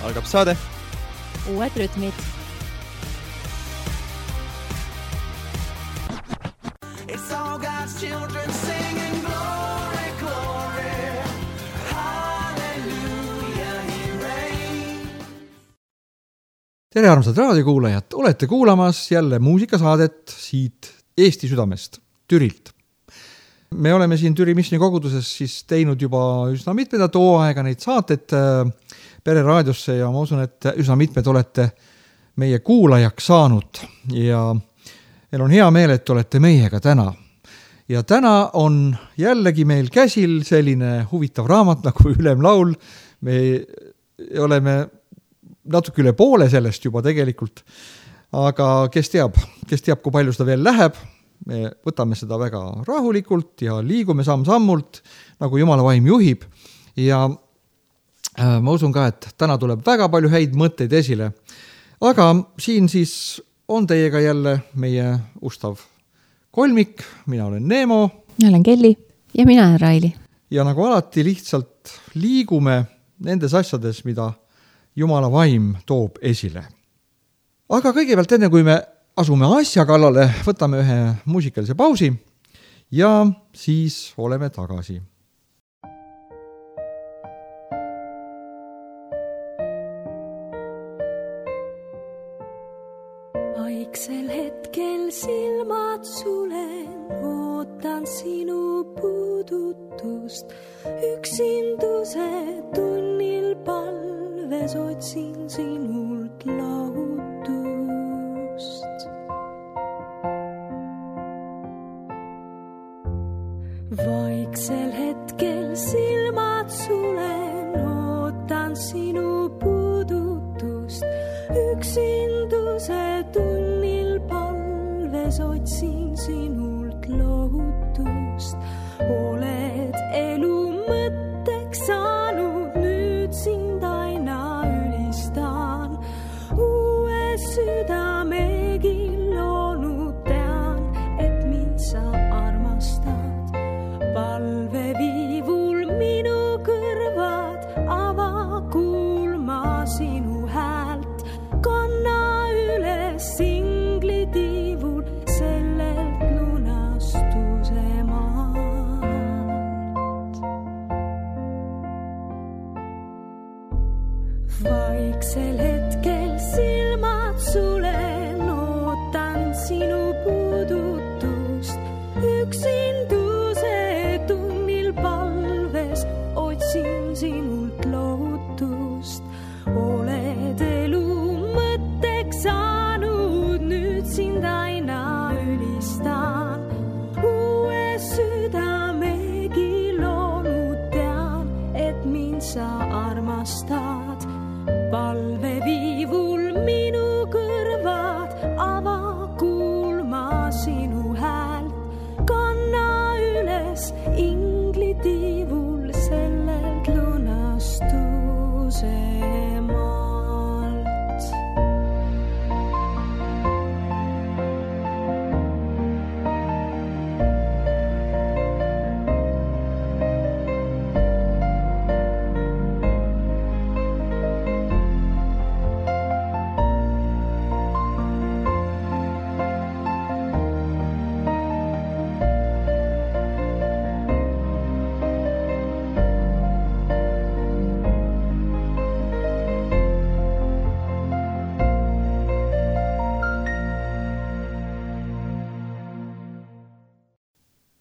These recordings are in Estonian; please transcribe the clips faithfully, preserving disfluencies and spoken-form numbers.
algab saade Uued rütmid. It's all God's children singing glory, glory, hallelujah, he reigns. Tere armsad raadiokuulajad, olete kuulamas jälle muusikasaadet siit Eesti südamest, Türilt. Me oleme siin Türi Missioni koguduses siis teinud juba üsna mitmedat hooaega neid saateid Pere raadiosse ja ma usun, et üsna mitmed olete meie kuulajaks saanud ja meil on hea meel, et olete meiega täna. Ja täna on jällegi meil käsil selline huvitav raamat nagu Ülemlaul. Me oleme natuke üle poole sellest juba tegelikult, aga kes teab, kes teab, kui palju seda veel läheb. Me võtame seda väga rahulikult ja liigume samm-sammult, nagu Jumala vaim juhib. Ja ma usun ka, et täna tuleb väga palju häid mõtteid esile. Aga siin siis on teiega jälle meie ustav kolmik. Mina olen Neemo. Mina olen Kelly. Ja mina olen Raili. Ja nagu alati lihtsalt liigume nendes asjades, mida Jumala vaim toob esile. Aga kõigepealt enne, kui me asume asja kallale, võtame ühe muusikalise pausi ja siis oleme tagasi. Vaiksel hetkel silmad sulen, ootan sinu puudutust. Üksinduse tunnil palves otsin sinult lahutust. Vaiksel hetkel silmad sulen, ootan sinu puudutust. Üksinduse tunnil palves otsin sinult lohutust. Oled elu mõtteks saanud, nüüd sind aina ülistan. Uue südamegi loonud tean, et mind sa armastad. Palve viivul minu kõrvad, ava kuulma sinu häält. Kanna üles inglitiivul sellelt lunastuse maalt. Vaiksel hetkel silmad sulen, ootan sinu puudutust. Üksinduse tunnil palves otsin sinult lohutust. Oled elu mõtteks saanud, nüüd sind aina ülistan. Uue südamegi loonud tean, et mind sa armastad. Palve viivul minu kõrvad, ava kuulma sinu häält. Kanna üles inglitiivul sellelt lunastuse maalt.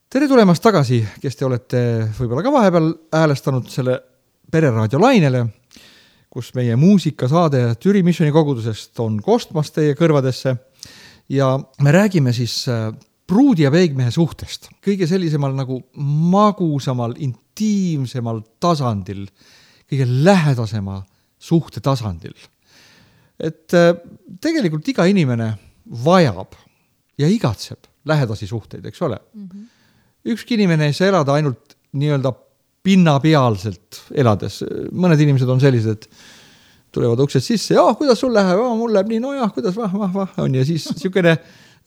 Tere tulemast tagasi, kes te olete võib-olla ka vahepeal häälestanud selle Pereraadio lainele, kus meie muusikasaade Türi Missioni kogudusest on kostmas teie kõrvadesse. Ja me räägime siis pruudi ja peigmehe suhtest. Kõige sellisemal nagu magusamal, intiimsemal tasandil, kõige lähedasema suhte tasandil. Et tegelikult iga inimene vajab ja igatseb lähedasi suhteid, eks ole? Mm-hmm. Ükski inimene ei saa elada ainult nii-öelda pinnapealselt elades. Mõned inimesed on sellised, et tulevad uksed sisse, ja kuidas sul läheb, ja, mul läheb nii, no jah, kuidas vah, vah, vah, on ja siis niisugune,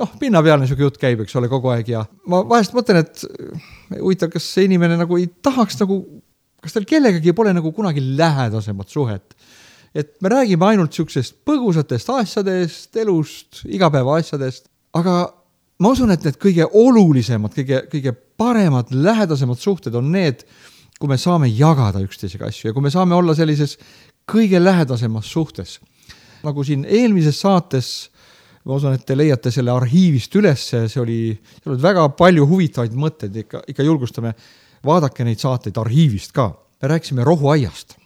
noh, pinnapealne niisugune jutt käib, eks ole, kogu aeg ja ma vahest mõtlen, et huvitav, kas see inimene nagu ei tahaks nagu, kas tal kellegagi pole nagu kunagi lähedasemat suhet, et me räägime ainult siuksest põgusatest asjadest, elust, igapäeva asjadest, aga ma usun, et need kõige olulisemad, kõige, kõige paremad, lähedasemad suhted on need, kui me saame jagada üksteisega asju ja kui me saame olla sellises kõige lähedasemas suhtes. Nagu siin eelmises saates, ma usun, et te leiate selle arhiivist üles, see oli, see oli väga palju huvitavaid mõtteid, ikka, ikka julgustame, vaadake neid saateid arhiivist ka. Me rääkisime rohuaiast,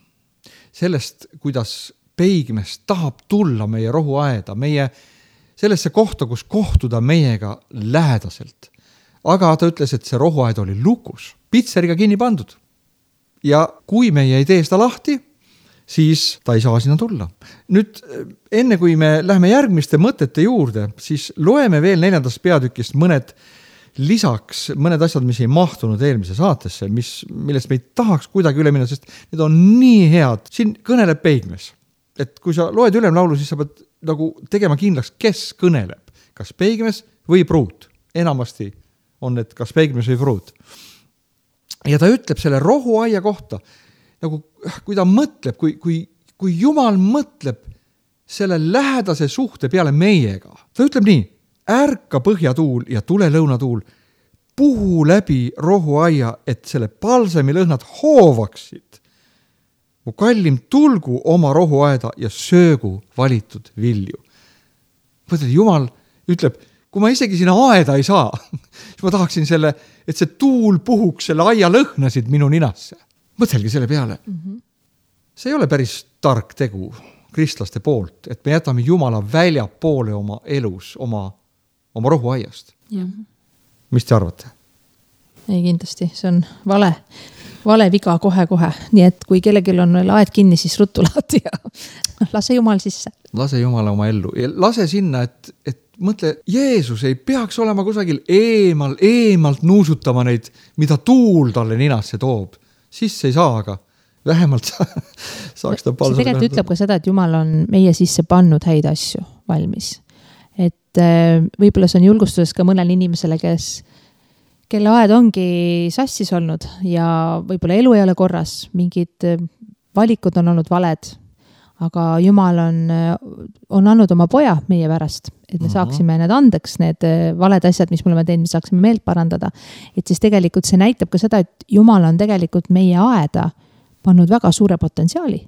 sellest, kuidas peigmees tahab tulla meie rohuaeda, meie sellesse kohta, kus kohtuda meiega lähedaselt. Aga ta ütles, et see rohuaed oli lukus, pitseriga kinni pandud. Ja kui meie ei tee seda lahti, siis ta ei saa sinna tulla. Nüüd, enne kui me lähme järgmiste mõtete juurde, siis loeme veel neljandast peatükist mõned lisaks, mõned asjad, mis ei mahtunud eelmise saatesse, mis, millest me ei tahaks kuidagi üle minna, sest need on nii head. Siin kõneleb peigmees. Et kui sa loed ülemlaulu, siis sa pead nagu tegema kindlaks, kes kõneleb. Kas peigmees või pruut. Enamasti on need kas peigmees või pruut. Ja ta ütleb selle rohuaia kohta, nagu kui ta mõtleb, kui, kui, kui Jumal mõtleb selle lähedase suhte peale meiega. Ta ütleb nii, ärka põhjatuul ja tule lõunatuul, puhu läbi rohuaia, et selle palsemi lõhnad hoovaksid. Mu kallim tulgu oma rohuaeda ja söögu valitud vilju. Mõtled, Jumal ütleb, kui ma isegi sinna aeda ei saa, siis ma tahaksin selle, et see tuul puhuks selle aia lõhnasid minu ninasse. Mõtelgi selle peale. Mm-hmm. See ei ole päris tark tegu kristlaste poolt, et me jätame Jumala välja poole oma elus, oma, oma rohuaiast. Ja. Mis te arvate? Ei, kindlasti, see on vale, vale viga kohe-kohe. Nii et kui kellelgi on veel aed kinni, siis ruttu lahti ja lase Jumal sisse. Lase Jumala oma ellu. Ja lase sinna, et, et mõtle, Jeesus ei peaks olema kusagil eemal, eemalt nuusutama neid, mida tuul talle ninasse toob. Sisse ei saa, aga vähemalt saaks ta palsa. See tegelikult ütleb ka seda, et Jumal on meie sisse pannud häid asju valmis. Et võib-olla see on julgustuses ka mõnel inimesele, kes, kelle aed ongi sassis olnud ja võib-olla elu ei ole korras, mingid valikud on olnud valed, aga Jumal on, on andnud oma poja meie pärast, et me saaksime need andeks, need valed asjad, mis me oleme teinud, me saaksime meelt parandada. Et siis tegelikult see näitab ka seda, et Jumal on tegelikult meie aeda pannud väga suure potentsiaali.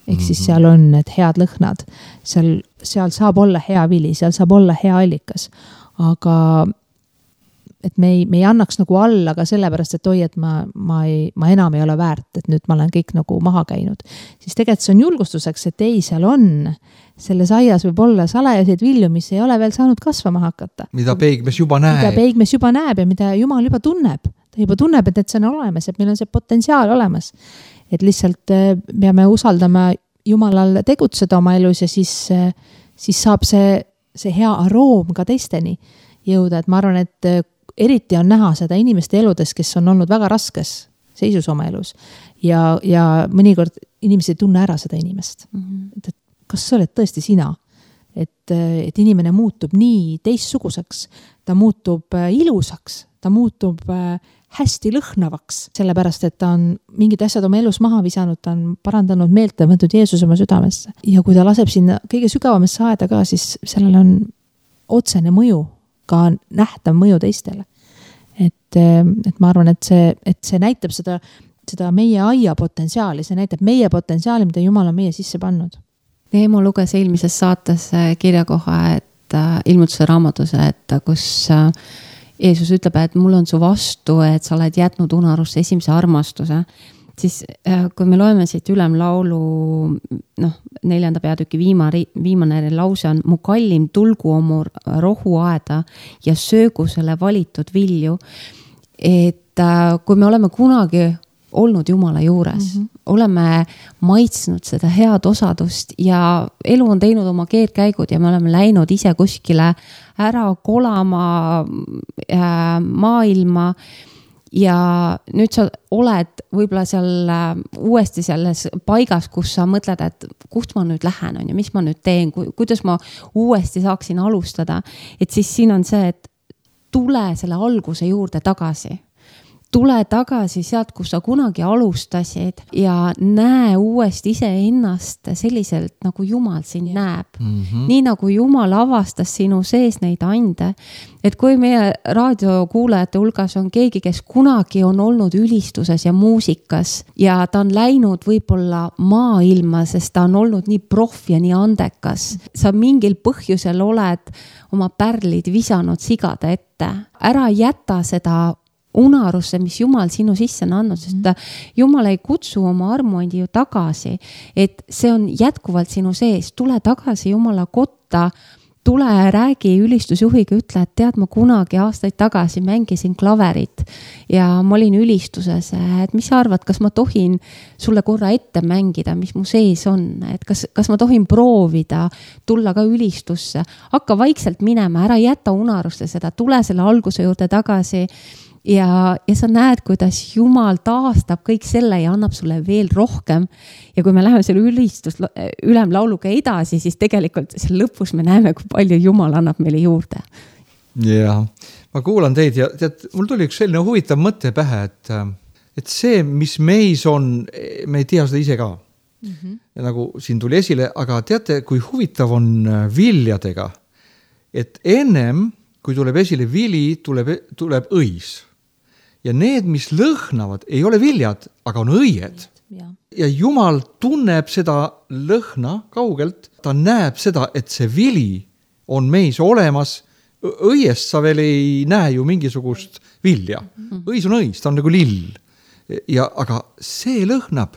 Ehk siis seal on need head lõhnad, seal, seal saab olla hea vili, seal saab olla hea allikas, aga et me ei, me ei annaks nagu alla ka sellepärast, et oi, et ma, ma, ei, ma enam ei ole väärt, et nüüd ma olen kõik nagu maha käinud. Siis tegelikult see on julgustuseks, et ei, seal on, selles aias võib olla salajaseid vilju, mis ei ole veel saanud kasvama hakata. Mida peigmees juba näeb. Mida peigmees juba näeb ja mida Jumal juba tunneb. Ta juba tunneb, et need see on olemas, et meil on see potentsiaal olemas. Et lihtsalt peame usaldama Jumalal tegutseda oma elus ja siis, siis saab see, see hea aroom ka teisteni jõuda. Et ma arvan, et eriti on näha seda inimeste eludes, kes on olnud väga raskes seisus oma elus. Ja, ja mõnikord inimesed ei tunne ära seda inimest. Mm-hmm. Et, et kas sa oled tõesti sina? Et, et inimene muutub nii teistsuguseks, ta muutub ilusaks, ta muutub hästi lõhnavaks, sellepärast, et ta on mingid asjad oma elus maha visanud, ta on parandanud meelt ja võtnud Jeesus oma südamesse. Ja kui ta laseb sinna kõige sügavamesse aeda ka, siis sellel on otsene mõju, ka nähtav mõju teistele. Et, et ma arvan, et see, et see näitab seda, seda meie aia potentsiaali, see näitab meie potentsiaali, mida Jumal on meie sisse pannud. Neemo luges eelmises saates kirjakoha, et ilmutuse raamatuse, et kus Jeesus ütleb, et mul on su vastu, et sa oled jätnud unarusse esimese armastuse. Siis kui me loeme siit ülemlaulu, noh, neljanda peatüki viima, viimane lause on mu kallim tulgu oma rohuaeda ja söögu selle valitud vilju. Et kui me oleme kunagi olnud Jumala juures, mm-hmm. oleme maitsnud seda head osadust ja elu on teinud oma keerkäigud ja me oleme läinud ise kuskile ära kolama äh, maailma ja nüüd sa oled võib-olla seal äh, uuesti selles paigas, kus sa mõtled, et kust ma nüüd lähen on ja mis ma nüüd teen, ku, kuidas ma uuesti saaksin alustada, et siis siin on see, et tule selle alguse juurde tagasi. tule tagasi sealt, kus sa kunagi alustasid ja näe uuesti iseennast selliselt, nagu Jumal sind näeb. Mm-hmm. Nii nagu Jumal avastas sinu sees neid ande. Et kui meie raadiokuulajate hulgas on keegi, kes kunagi on olnud ülistuses ja muusikas ja ta on läinud võib-olla maailma, sest ta on olnud nii proff ja nii andekas. Sa mingil põhjusel oled oma pärlid visanud sigade ette. Ära jäta seda unarusse, mis Jumal sinu sisse on andnud, sest Jumal ei kutsu oma armuandi ju tagasi, et see on jätkuvalt sinu sees. Tule tagasi Jumala kotta, tule räägi ülistusjuhiga, ütle, et tead, ma kunagi aastaid tagasi mängisin klaverit ja ma olin ülistuses, et mis sa arvad, kas ma tohin sulle korra ette mängida, mis mu sees on, et kas, kas ma tohin proovida tulla ka ülistusse, hakka vaikselt minema, ära jäta unarusse seda, tule selle alguse juurde tagasi ja, ja sa näed, kuidas Jumal taastab kõik selle ja annab sulle veel rohkem. Ja kui me läheme selle ülistus ülemlauluga edasi, siis tegelikult seal lõpus me näeme, kui palju Jumal annab meile juurde. Ja, ma kuulan teid ja tead, mul tuli üks selline huvitav mõte pähe, et, et see, mis meis on, me ei tea seda ise ka. Mm-hmm. Ja nagu siin tuli esile, aga teate, kui huvitav on viljadega, et ennem, kui tuleb esile vili, tuleb, tuleb õis. Ja need, mis lõhnavad, ei ole viljad, aga on õied. Ja. ja Jumal tunneb seda lõhna kaugelt, ta näeb seda, et see vili on meis olemas. Õiest sa veel ei näe ju mingisugust vilja. Õis on õis, ta on nagu lill. Ja, aga see lõhnab.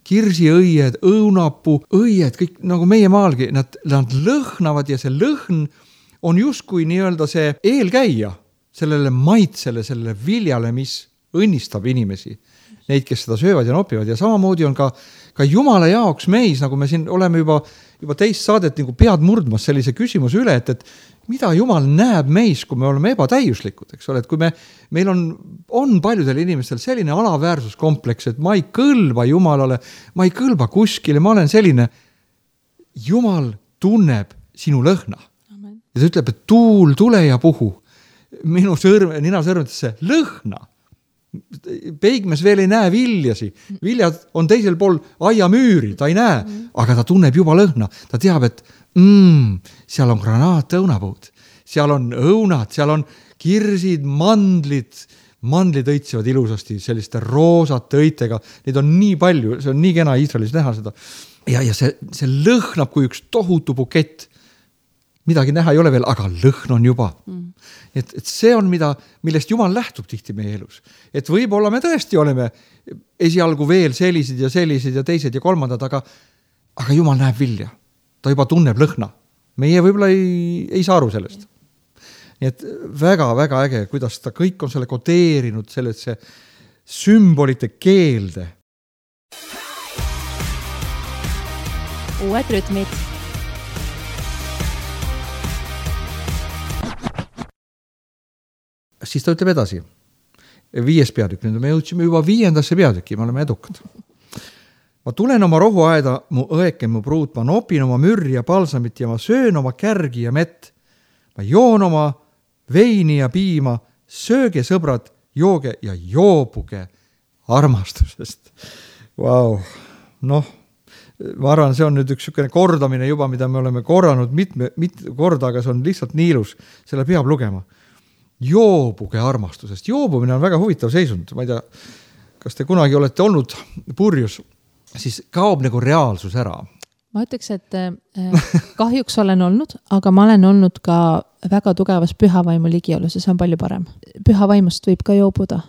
Kirsiõied, õunapuu, õied, kõik nagu meie maalgi, nad, nad lõhnavad ja see lõhn on justkui nii-öelda see eelkäija sellele maitsele, sellele viljale, mis õnnistab inimesi, neid, kes seda söövad ja nopivad. Ja samamoodi on ka, ka Jumala jaoks meis, nagu me siin oleme juba, juba teist saadet nagu pead murdmas sellise küsimuse üle, et, et mida Jumal näeb meis, kui me oleme ebatäiuslikud, eks ole, et kui me, meil on, on paljudel inimestel selline alaväärsuskompleks, et ma ei kõlba Jumalale, ma ei kõlba kuskile, ma olen selline. Jumal tunneb sinu lõhna. Amen. Ja ta ütleb, et tuul, tule ja puhu. Minu sõrm, nina sõrmetesse lõhna. Peigmes veel ei näe viljasi. Viljad on teisel pool aiamüüri, ta ei näe, aga ta tunneb juba lõhna. Ta teab, et mm, seal on granaat õunapuud, seal on õunad, seal on kirsid, mandlid. Mandlid õitsivad ilusasti selliste roosate õitega. Neid on nii palju, see on nii kena Iisraelis näha seda. Ja, ja see, see lõhnab kui üks tohutu bukett. Midagi näha ei ole veel, aga lõhn on juba. Mm. Et, et see on, mida, millest Jumal lähtub tihti meie elus. Et võib-olla me tõesti oleme esialgu veel sellised ja sellised ja teised ja kolmandad, aga, aga Jumal näeb vilja. Ta juba tunneb lõhna. Meie võib-olla ei, ei saa aru sellest. Nii et väga, väga äge, kuidas ta kõik on selle kodeerinud sellesse sümbolite keelde. Uued rütmid. Siis ta ütleb edasi. Viies peatükk, nüüd me jõudsime juba viiendasse peatükki, me oleme edukad. Ma tulen oma rohuaeda, mu õeke, mu pruut, ma nopin oma mürri ja palsamit ja ma söön oma kärgi ja mett. Ma joon oma veini ja piima, sööge sõbrad, jooge ja joobuge armastusest. Vau, wow. Noh, ma arvan, see on nüüd üks sükene kordamine juba, mida me oleme korranud mitme, mitme korda, aga see on lihtsalt nii ilus, selle peab lugema. Joobuge armastusest. Joobumine on väga huvitav seisund. Ma ei tea, kas te kunagi olete olnud purjus, siis kaob nagu reaalsus ära. Ma ütleks, et kahjuks olen olnud, aga ma olen olnud ka väga tugevas pühavaimu ligiolus ja see on palju parem. Pühavaimust võib ka joobuda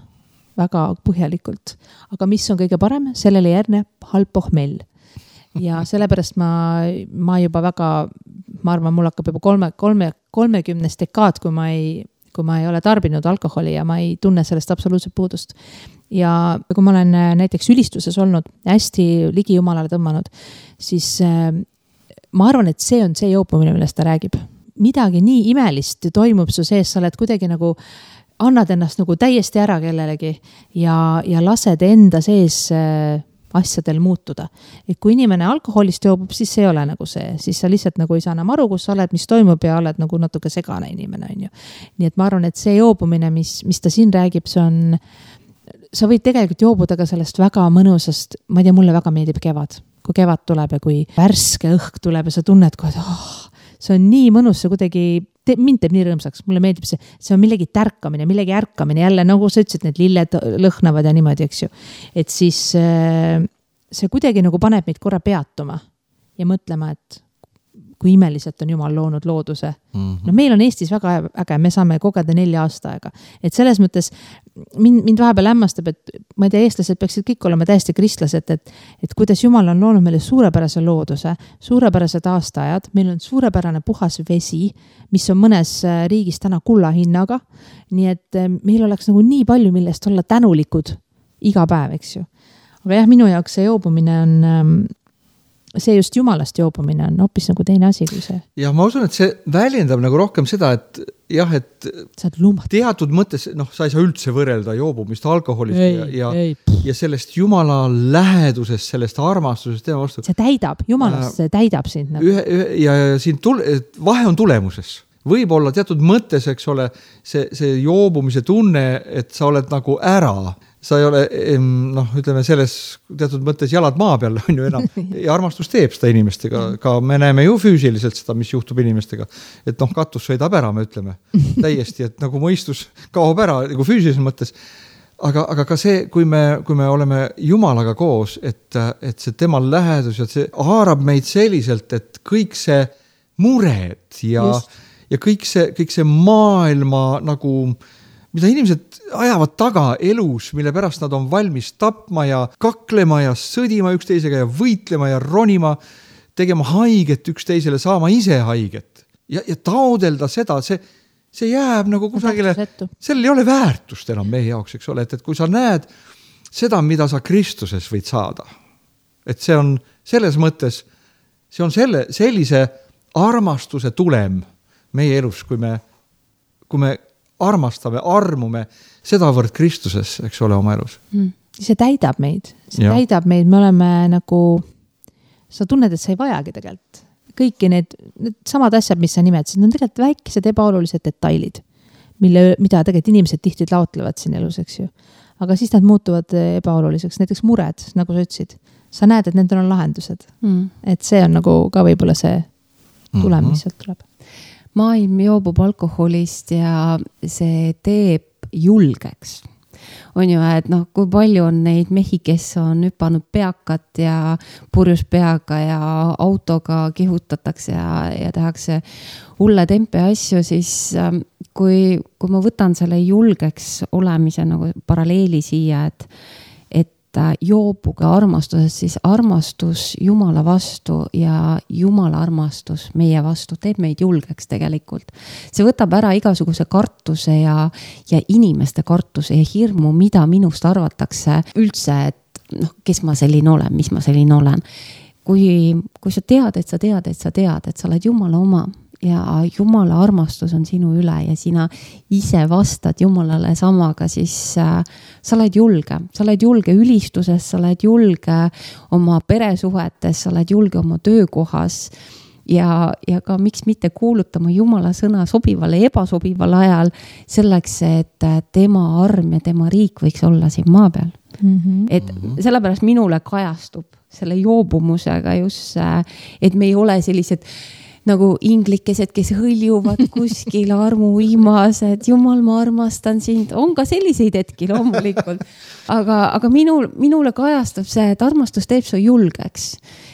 väga põhjalikult. Aga mis on kõige parem? Sellele järgneb halb pohmell. Ja sellepärast ma, ma juba väga, ma arvan, mul hakkab juba kolme, kolme, kolmekümnes dekaad, kui ma ei kui ma ei ole tarbinud alkoholi ja ma ei tunne sellest absoluutselt puudust. Ja kui ma olen näiteks ülistuses olnud, hästi ligi Jumalale tõmmanud, siis ma arvan, et see on see joopumine, millest ta räägib. Midagi nii imelist toimub su sees, sa oled kuidagi nagu, annad ennast nagu täiesti ära kellelegi ja, ja lased enda sees asjadel muutuda. Et kui inimene alkoholist joobub, siis see ei ole nagu see. Siis sa lihtsalt nagu ei saa enam aru, kus sa oled, mis toimub ja oled nagu natuke segane inimene. On ju. Nii et ma arvan, et see joobumine, mis, mis ta siin räägib, see on, sa võid tegelikult joobuda ka sellest väga mõnusast, ma ei tea, mulle väga meeldib kevad, kui kevad tuleb ja kui värske õhk tuleb ja sa tunned kohe, et oh, see on nii mõnus, see kuidagi, te, mind teeb nii rõõmsaks, mulle meeldib see, see on millegi tärkamine, millegi ärkamine, jälle nagu sa ütlesid, need lilled lõhnavad ja niimoodi, eks ju. Et siis see kuidagi nagu paneb meid korra peatuma ja mõtlema, et kui imeliselt on Jumal loonud looduse. Mm-hmm. No meil on Eestis väga äge, me saame kogeda nelja aasta aega. Et selles mõttes mind, mind vahepeal hämmastab, et ma ei tea, eestlased peaksid kõik olema täiesti kristlased, et, et kuidas Jumal on loonud meile suurepärase looduse, suurepärased aastaajad, meil on suurepärane puhas vesi, mis on mõnes riigis täna kulla hinnaga, nii et meil oleks nagu nii palju, millest olla tänulikud iga päev, eks ju. Aga jah, minu jaoks see joobumine on see just Jumalast joobumine on hoopis nagu teine asi kui see. Ja ma usun, et see väljendab nagu rohkem seda, et jah, et teatud mõttes, noh, sa ei saa üldse võrrelda joobumist alkoholist ei, ja, ja, ei. ja sellest Jumala lähedusest, sellest armastusest tema vastu. See täidab, Jumalast see täidab sind. Nagu. Ühe, ühe, ja siin tule, vahe on tulemuses. Võib olla teatud mõttes, eks ole, see, see joobumise tunne, et sa oled nagu ära. Sa ei ole, noh, ütleme selles teatud mõttes jalad maa peal on ju enam ja armastus teeb seda inimestega, ka me näeme ju füüsiliselt seda, mis juhtub inimestega, et noh, katus sõidab ära, me ütleme täiesti, et nagu mõistus kaob ära nagu füüsilises mõttes, aga, aga ka see, kui me, kui me oleme Jumalaga koos, et, et see tema lähedus ja see haarab meid selliselt, et kõik see mured ja, ja kõik see, kõik see maailma nagu mida inimesed ajavad taga elus, mille pärast nad on valmis tapma ja kaklema ja sõdima üksteisega ja võitlema ja ronima, tegema haiget üksteisele, saama ise haiget. Ja, ja taodelda seda, see, see jääb nagu kusagile, sellel ei ole väärtust enam meie jaoks, eks ole, et, et kui sa näed seda, mida sa Kristuses võid saada, et see on selles mõttes, see on selle, sellise armastuse tulem meie elus, kui me, kui me armastame, armume sedavõrd Kristuses, eks ole, oma elus. Mm. See täidab meid. See ja. täidab meid. Me oleme nagu, sa tunned, et sa ei vajagi tegelikult. Kõiki need, need samad asjad, mis sa nimetasid, need on tegelikult väikesed ebaolulised detailid, mille, mida tegelikult inimesed tihti laotlevad siin elus, eks ju. Aga siis nad muutuvad ebaoluliseks. Näiteks mured, nagu sa ütlesid. Sa näed, et nendel on lahendused. Mm. Et see on nagu ka võib-olla see tulem, mis sealt tuleb. Maailm joobub alkoholist ja see teeb julgeks. On ju, et noh, kui palju on neid mehi, kes on hüpanud peakat ja purjus peaga ja autoga kihutatakse ja, ja tehakse hulle tempe asju, siis kui, kui ma võtan selle julgeks olemise nagu paralleeli siia, et joobuge armastusest, siis armastus Jumala vastu ja Jumala armastus meie vastu teeb meid julgeks tegelikult. See võtab ära igasuguse kartuse ja, ja inimeste kartuse ja hirmu, mida minust arvatakse üldse, et noh, kes ma selline olen, mis ma selline olen. Kui, kui sa tead, et sa tead, et sa tead, et sa oled Jumala oma ja Jumala armastus on sinu üle ja sina ise vastad Jumalale samaga, siis äh, sa oled julge. Sa oled julge ülistuses, sa oled julge oma peresuhetes, sa oled julge oma töökohas ja, ja ka miks mitte kuulutama Jumala sõna sobival ja ebasobival ajal selleks, et tema arm ja tema riik võiks olla siin maa peal. Mm-hmm. Et sellepärast minule kajastub selle joobumusega just, et me ei ole sellised nagu inglikesed, kes hõljuvad kuskil armuimas, et Jumal, ma armastan sind. On ka selliseid hetki loomulikult. Aga, aga minul, minule kajastab see, et armastus teeb su julgeks.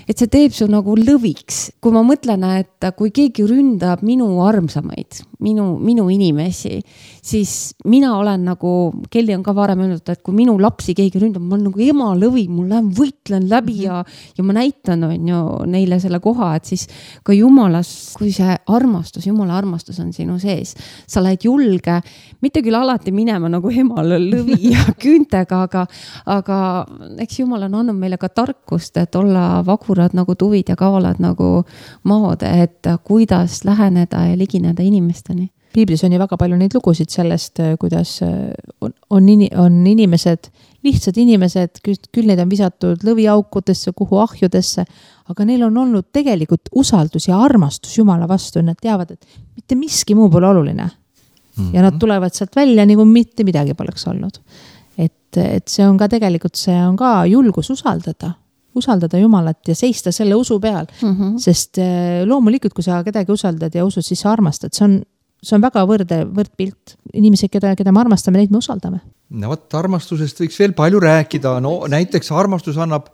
Et see teeb su nagu lõviks. Kui ma mõtlen, et kui keegi ründab minu armsamaid, minu, minu inimesi, siis mina olen nagu, Kelly on ka varem öelnud, et kui minu lapsi keegi ründab, ma olen nagu ema lõvi, mul lähen võitlen läbi ja, ja ma näitan on ju neile selle koha, et siis ka Jumalas, kui see armastus, Jumala armastus on sinu sees, sa oled julge, mitte küll alati minema nagu emal lõvi ja küüntega, aga, aga eks Jumal on andnud meile ka tarkust, et olla vakurad nagu tuvid ja kaalad nagu maod, et kuidas läheneda ja ligineda inimesteni. Piiblis on ju väga palju neid lugusid sellest, kuidas on, on, on inimesed, lihtsad inimesed, küll neid on visatud lõviaukudesse, kuhu ahjudesse, aga neil on olnud tegelikult usaldus ja armastus Jumala vastu, nad teavad, et mitte miski muu pole oluline. Mm-hmm. Ja nad tulevad sealt välja, nagu mitte midagi poleks olnud. et, et see on ka tegelikult, see on ka julgus usaldada, usaldada Jumalat ja seista selle usu peal, mm -hmm. sest loomulikult, kui sa kedagi usaldad ja usud, siis sa armastad, see on, see on väga võrde, võrdpilt. Inimesed, keda, keda me armastame, neid me usaldame. No võt, armastusest võiks veel palju rääkida, no näiteks armastus annab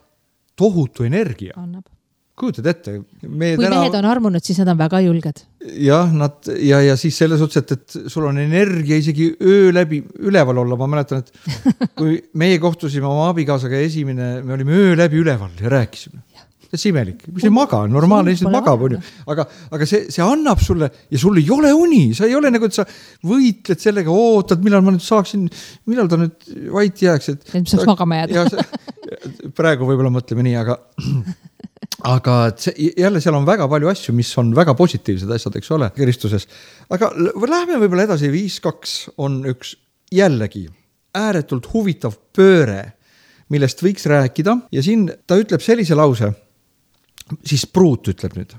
tohutu energia. Annab. Kujutad ette. Me kui täna... mehed on armunud, siis nad on väga julged. Jah, nad, ja, ja siis selles otsas, et, et sul on energia isegi öö läbi üleval olla. Ma mäletan, et kui meie kohtusime oma abikaasaga esimene, me olime öö läbi üleval ja rääkisime. See on imelik, mis ei maga, normaalne lihtsalt magab, on ju. Aga, aga see, see annab sulle ja sul ei ole uni, sa ei ole nagu, et sa võitled sellega, ootad, millal ma nüüd saaksin, millal ta nüüd vait jääks. Et, et saaks magama jääda. Praegu võib-olla mõtleme nii, aga, aga see, jälle seal on väga palju asju, mis on väga positiivsed asjad, eks ole, Kristuses. Aga lähme võib-olla edasi, viis kaks on üks jällegi ääretult huvitav pööre, millest võiks rääkida ja siin ta ütleb sellise lause, siis Pruut ütleb nüüd,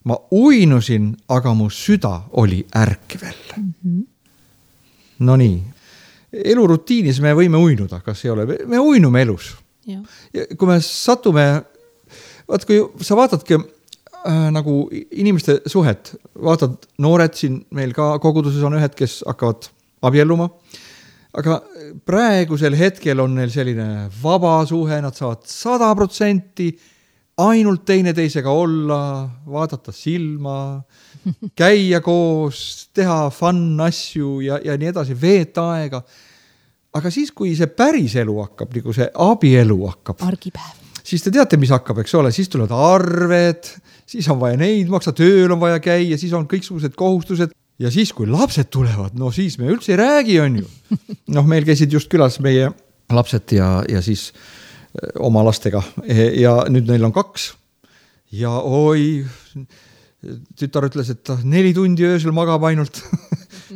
ma uinusin, aga mu süda oli ärkvel. Mm-hmm. No nii, elurutiinis me võime uinuda, kas ei ole, me uinume elus. Ja. Ja kui me satume, vaat kui sa vaatadki äh, nagu inimeste suhet, vaatad noored siin, meil ka koguduses on ühed, kes hakkavad abielluma, aga praegusel hetkel on neil selline vaba suhe, nad saavad sada protsenti ainult teine teisega olla, vaadata silma, käia koos, teha fun asju ja, ja nii edasi, veeta aega. Aga siis, kui see päris elu hakkab, nagu see abielu hakkab, argipäev. Siis te teate, mis hakkab, eks ole, siis tulevad arved, siis on vaja neid maksa, tööl on vaja käia, siis on kõiksugused kohustused ja siis, kui lapsed tulevad, no siis me üldse ei räägi, on ju. Noh, meil käisid just külas meie lapsed ja, ja siis oma lastega ja nüüd neil on kaks ja oi, tütar ütles, et neli tundi öösel magab ainult.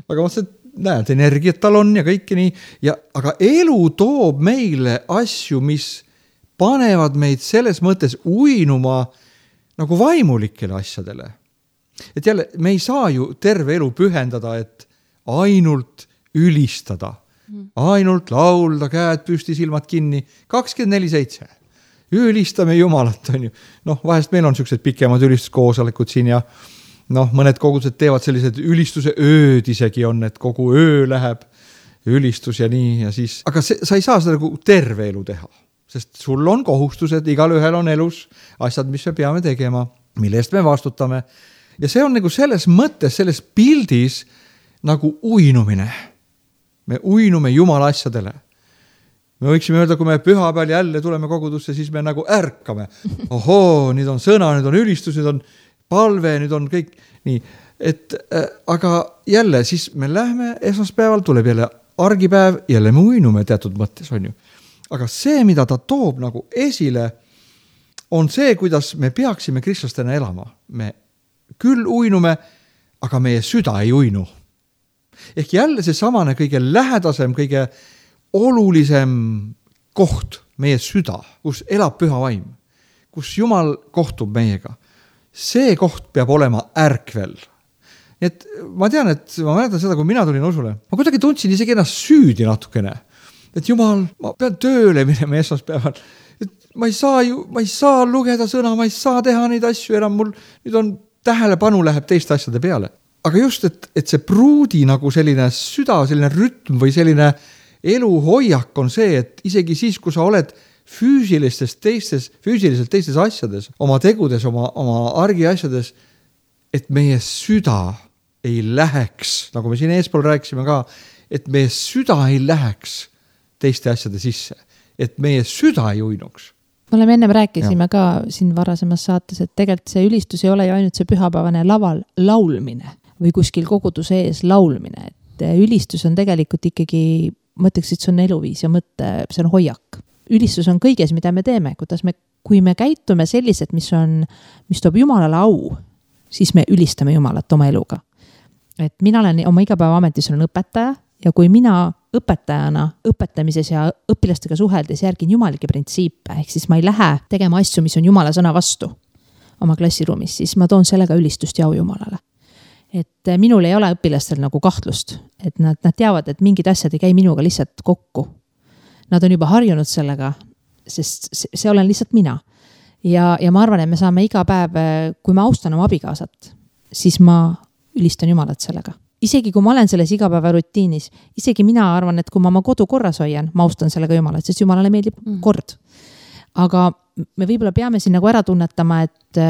Aga ma mõtlesin, et näed, energiat tal on ja kõike nii. Ja, aga elu toob meile asju, mis panevad meid selles mõttes uinuma nagu vaimulikele asjadele. Et jälle, me ei saa ju terve elu pühendada, et ainult ülistada. Ainult laulda, käed püsti, silmad kinni, kakskümmend neli seitse. Ülistame Jumalat, on ju. Noh, vahest meil on sellised pikemad ülistuskoosolekud siin ja noh, mõned kogudused teevad sellised ülistuse ööd isegi on, et kogu öö läheb ülistus ja nii ja siis. Aga see, sa ei saa seda nagu terve elu teha, sest sul on kohustused, igal ühel on elus asjad, mis me peame tegema, mille eest me vastutame. Ja see on nagu selles mõttes, selles pildis nagu uinumine. Me uinume Jumala asjadele. Me võiksime öelda, kui me püha peal jälle tuleme kogudusse, siis me nagu ärkame. Ohoo, nüüd on sõna, nüüd on ülistus, nüüd on palve, nüüd on kõik nii. Et, äh, aga jälle, siis me lähme esmaspäeval, tuleb jälle argipäev, jälle me uinume teatud mõttes, on ju. Aga see, mida ta toob nagu esile, on see, kuidas me peaksime kristlastena elama. Me küll uinume, aga meie süda ei uinu. Ehk jälle see samane kõige lähedasem, kõige olulisem koht, meie süda, kus elab püha vaim, kus Jumal kohtub meiega. See koht peab olema ärkvel. Et ma tean, et ma mäletan seda, kui mina tulin usule, ma kuidagi tundsin isegi ennast süüdi natukene. Et Jumal, ma pean tööle minema esmaspäeval. Et ma ei saa ju, ma ei saa lugeda sõna, ma ei saa teha neid asju enam, mul nüüd on tähelepanu läheb teiste asjade peale. Aga just, et, et see Pruudi nagu selline süda, selline rütm või selline eluhoiak on see, et isegi siis, kui sa oled füüsilistes teistes, füüsiliselt teistes asjades, oma tegudes, oma, oma argi asjades, et meie süda ei läheks, nagu me siin eespool rääkisime ka, et meie süda ei läheks teiste asjade sisse, et meie süda ei uinuks. Me oleme ennem rääkisime ja. Ka siin varasemas saates, et tegelikult see ülistus ei ole ju ainult see pühapäevane laval laulmine või kuskil koguduse ees laulmine, et ülistus on tegelikult ikkagi, mõtleks, et see on eluviis ja mõtte, see on hoiak. Ülistus on kõiges, mida me teeme, kuidas me, kui me käitume sellised, mis on, mis toob Jumalale au, siis me ülistame Jumalat oma eluga. Et mina olen oma igapäeva ametis olen õpetaja ja kui mina õpetajana õpetamises ja õpilastega suheldes järgin jumalike printsiipe, ehk siis ma ei lähe tegema asju, mis on Jumala sõna vastu oma klassiruumis, siis ma toon sellega ülistust ja au Jumalale. Et minul ei ole õpilastel nagu kahtlust, et nad, nad teavad, et mingid asjad ei käi minuga lihtsalt kokku. nad on juba harjunud sellega, sest see olen lihtsalt mina. Ja, ja ma arvan, et me saame iga päev, kui ma austan oma abikaasat, siis ma ülistan Jumalat sellega. Isegi kui ma olen selles igapäeva rutiinis, isegi mina arvan, et kui ma oma kodu korras hoian, ma austan sellega Jumalat, sest Jumalale meeldib mm. kord. Aga me võib-olla peame siin nagu ära tunnetama, et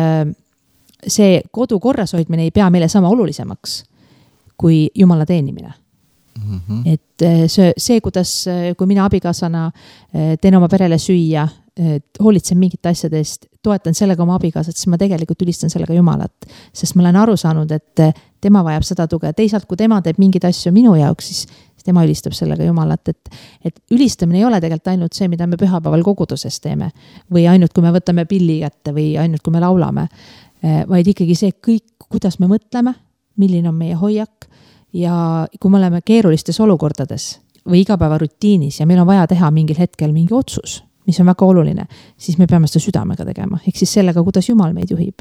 see kodu korras hoidmine ei pea meile sama olulisemaks kui Jumala teenimine. Mm-hmm. Et see, see, kuidas, kui mina abikaasana teen oma perele süüa, hoolitsen mingite asjadest, toetan sellega oma abikaasat, siis ma tegelikult ülistan sellega Jumalat, sest ma olen aru saanud, et tema vajab seda tuge. Teisalt, kui tema teeb mingid asju minu jaoks, siis tema ülistab sellega Jumalat, et, et ülistamine ei ole tegelikult ainult see, mida me pühapäeval koguduses teeme või ainult, kui me võtame pilli kätte või ainult, kui me laulame, vaid ikkagi see kõik, kuidas me mõtleme, milline on meie hoiak ja kui me oleme keerulistes olukordades või igapäeva rutiinis ja meil on vaja teha mingil hetkel mingi otsus, mis on väga oluline, siis me peame seda südamega tegema, ehk siis sellega, kuidas Jumal meid juhib.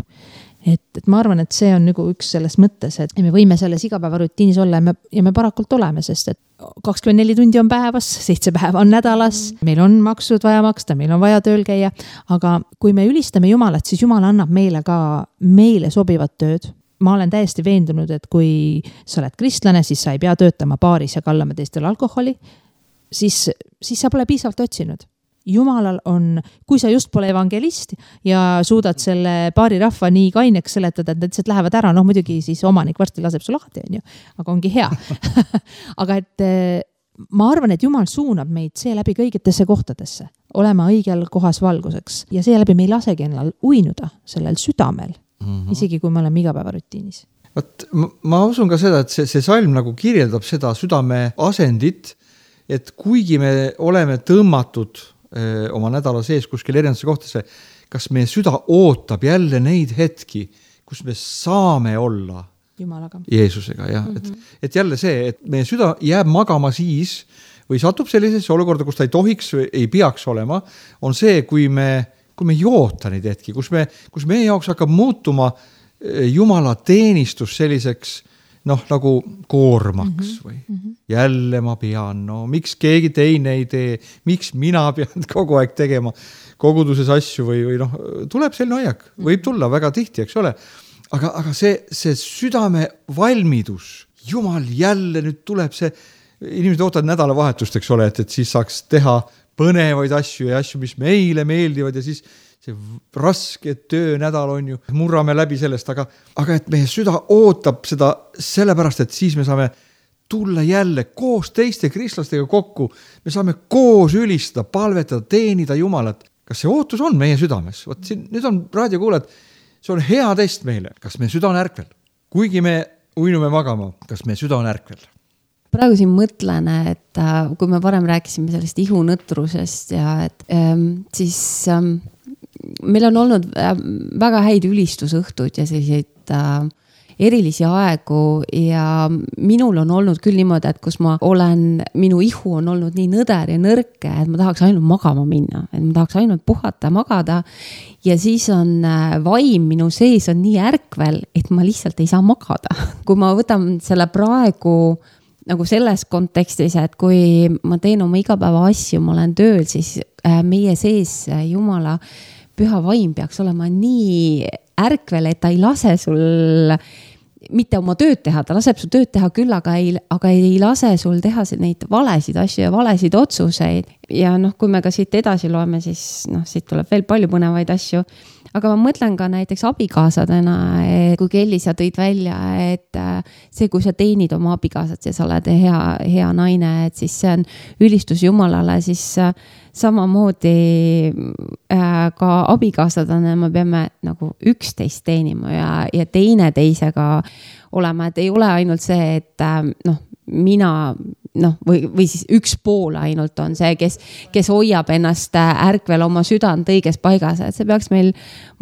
Et, et ma arvan, et see on nagu üks selles mõttes, et me võime selles igapäeva rutiinis olla ja me, ja me parakult oleme, sest et kakskümmend neli tundi on päevas, seitse päeva on nädalas, meil on maksud vaja maksta, meil on vaja tööl käia, aga kui me ülistame Jumalat, siis Jumal annab meile ka meile sobivat tööd. Ma olen täiesti veendunud, et kui sa oled kristlane, siis sa ei pea töötama baaris ja kallama teistel alkoholi, siis, siis sa pole piisavalt otsinud. Jumalal on, kui sa just pole evangelist ja suudad selle paari rahva nii kaineks seletada, et nad lihtsalt lähevad ära, noh muidugi siis omanik varsti laseb su lahti, on ju, aga ongi hea. Aga et ma arvan, et Jumal suunab meid seeläbi kõigitesse kohtadesse, olema õigel kohas valguseks ja seeläbi me ei lasegi ennal uinuda sellel südamel, mm-hmm. isegi kui me oleme igapäeva rutiinis. Võt, ma usun ka seda, et see, see salm nagu kirjeldab seda südame asendit, et kuigi me oleme tõmmatud oma nädala sees kuskil erinevasse kohtasse, kas meie süda ootab jälle neid hetki, kus me saame olla Jumalaga. Jeesusega. Ja? Mm-hmm. Et, et jälle see, et meie süda jääb magama siis või satub sellisesse olukorda, kus ta ei tohiks või ei peaks olema, on see, kui me, kui me ei oota neid hetki, kus, me, kus meie jaoks hakkab muutuma Jumala teenistus selliseks noh, nagu koormaks mm-hmm. või mm-hmm. jälle ma pean, no miks keegi teine ei tee, miks mina pean kogu aeg tegema koguduses asju või, või noh, tuleb selline hoiak, võib tulla väga tihti, eks ole, aga, aga see, see südame valmidus, Jumal jälle nüüd tuleb see, inimesed ootavad nädalavahetust, eks ole, et, et siis saaks teha põnevaid asju ja asju, mis meile meeldivad ja siis see raske töönädal on ju, murrame läbi sellest, aga, aga et meie süda ootab seda sellepärast, et siis me saame tulla jälle koos teiste kristlastega kokku, me saame koos ülistada, palvetada, teenida Jumalat. Kas see ootus on meie südames? Võt siin, nüüd on raadiokuulajad, see on hea test meile, kas meie süda on ärkvel. Kuigi me uinume magama, kas meie süda on ärkvel? Praegu siin mõtlen, et kui me varem rääkisime sellest ihunõtrusest ja et ähm, siis ähm, meil on olnud väga häid ülistusõhtuid ja selliseid äh, erilisi aegu ja minul on olnud küll niimoodi, et kus ma olen, minu ihu on olnud nii nõder ja nõrke, et ma tahaks ainult magama minna, et ma tahaks ainult puhata ja magada ja siis on äh, vaim minu sees on nii ärkvel, et ma lihtsalt ei saa magada. Kui ma võtan selle praegu nagu selles kontekstis, et kui ma teen oma igapäeva asju, ma olen tööl, siis äh, meie sees äh, Jumala püha vaim peaks olema nii ärkvel, et ta ei lase sul mitte oma tööd teha, ta laseb su tööd teha küll, aga ei, aga ei lase sul teha neid valesid asju ja valesid otsuseid. Ja noh, kui me ka siit edasi loeme, siis noh, siit tuleb veel palju põnevaid asju. Aga ma mõtlen ka näiteks abikaasadena, kui Kelly sa tõid välja, et see, kui sa teenid oma abikaasat ja sa oled hea, hea naine, et siis see on ülistus Jumalale, siis samamoodi ka abikaasadena me peame nagu üksteist teenima ja, ja teine teisega olema, et ei ole ainult see, et noh, mina noh, või, või siis üks pool ainult on see, kes, kes hoiab ennast ärkvel oma südant õiges paigas, et see peaks meil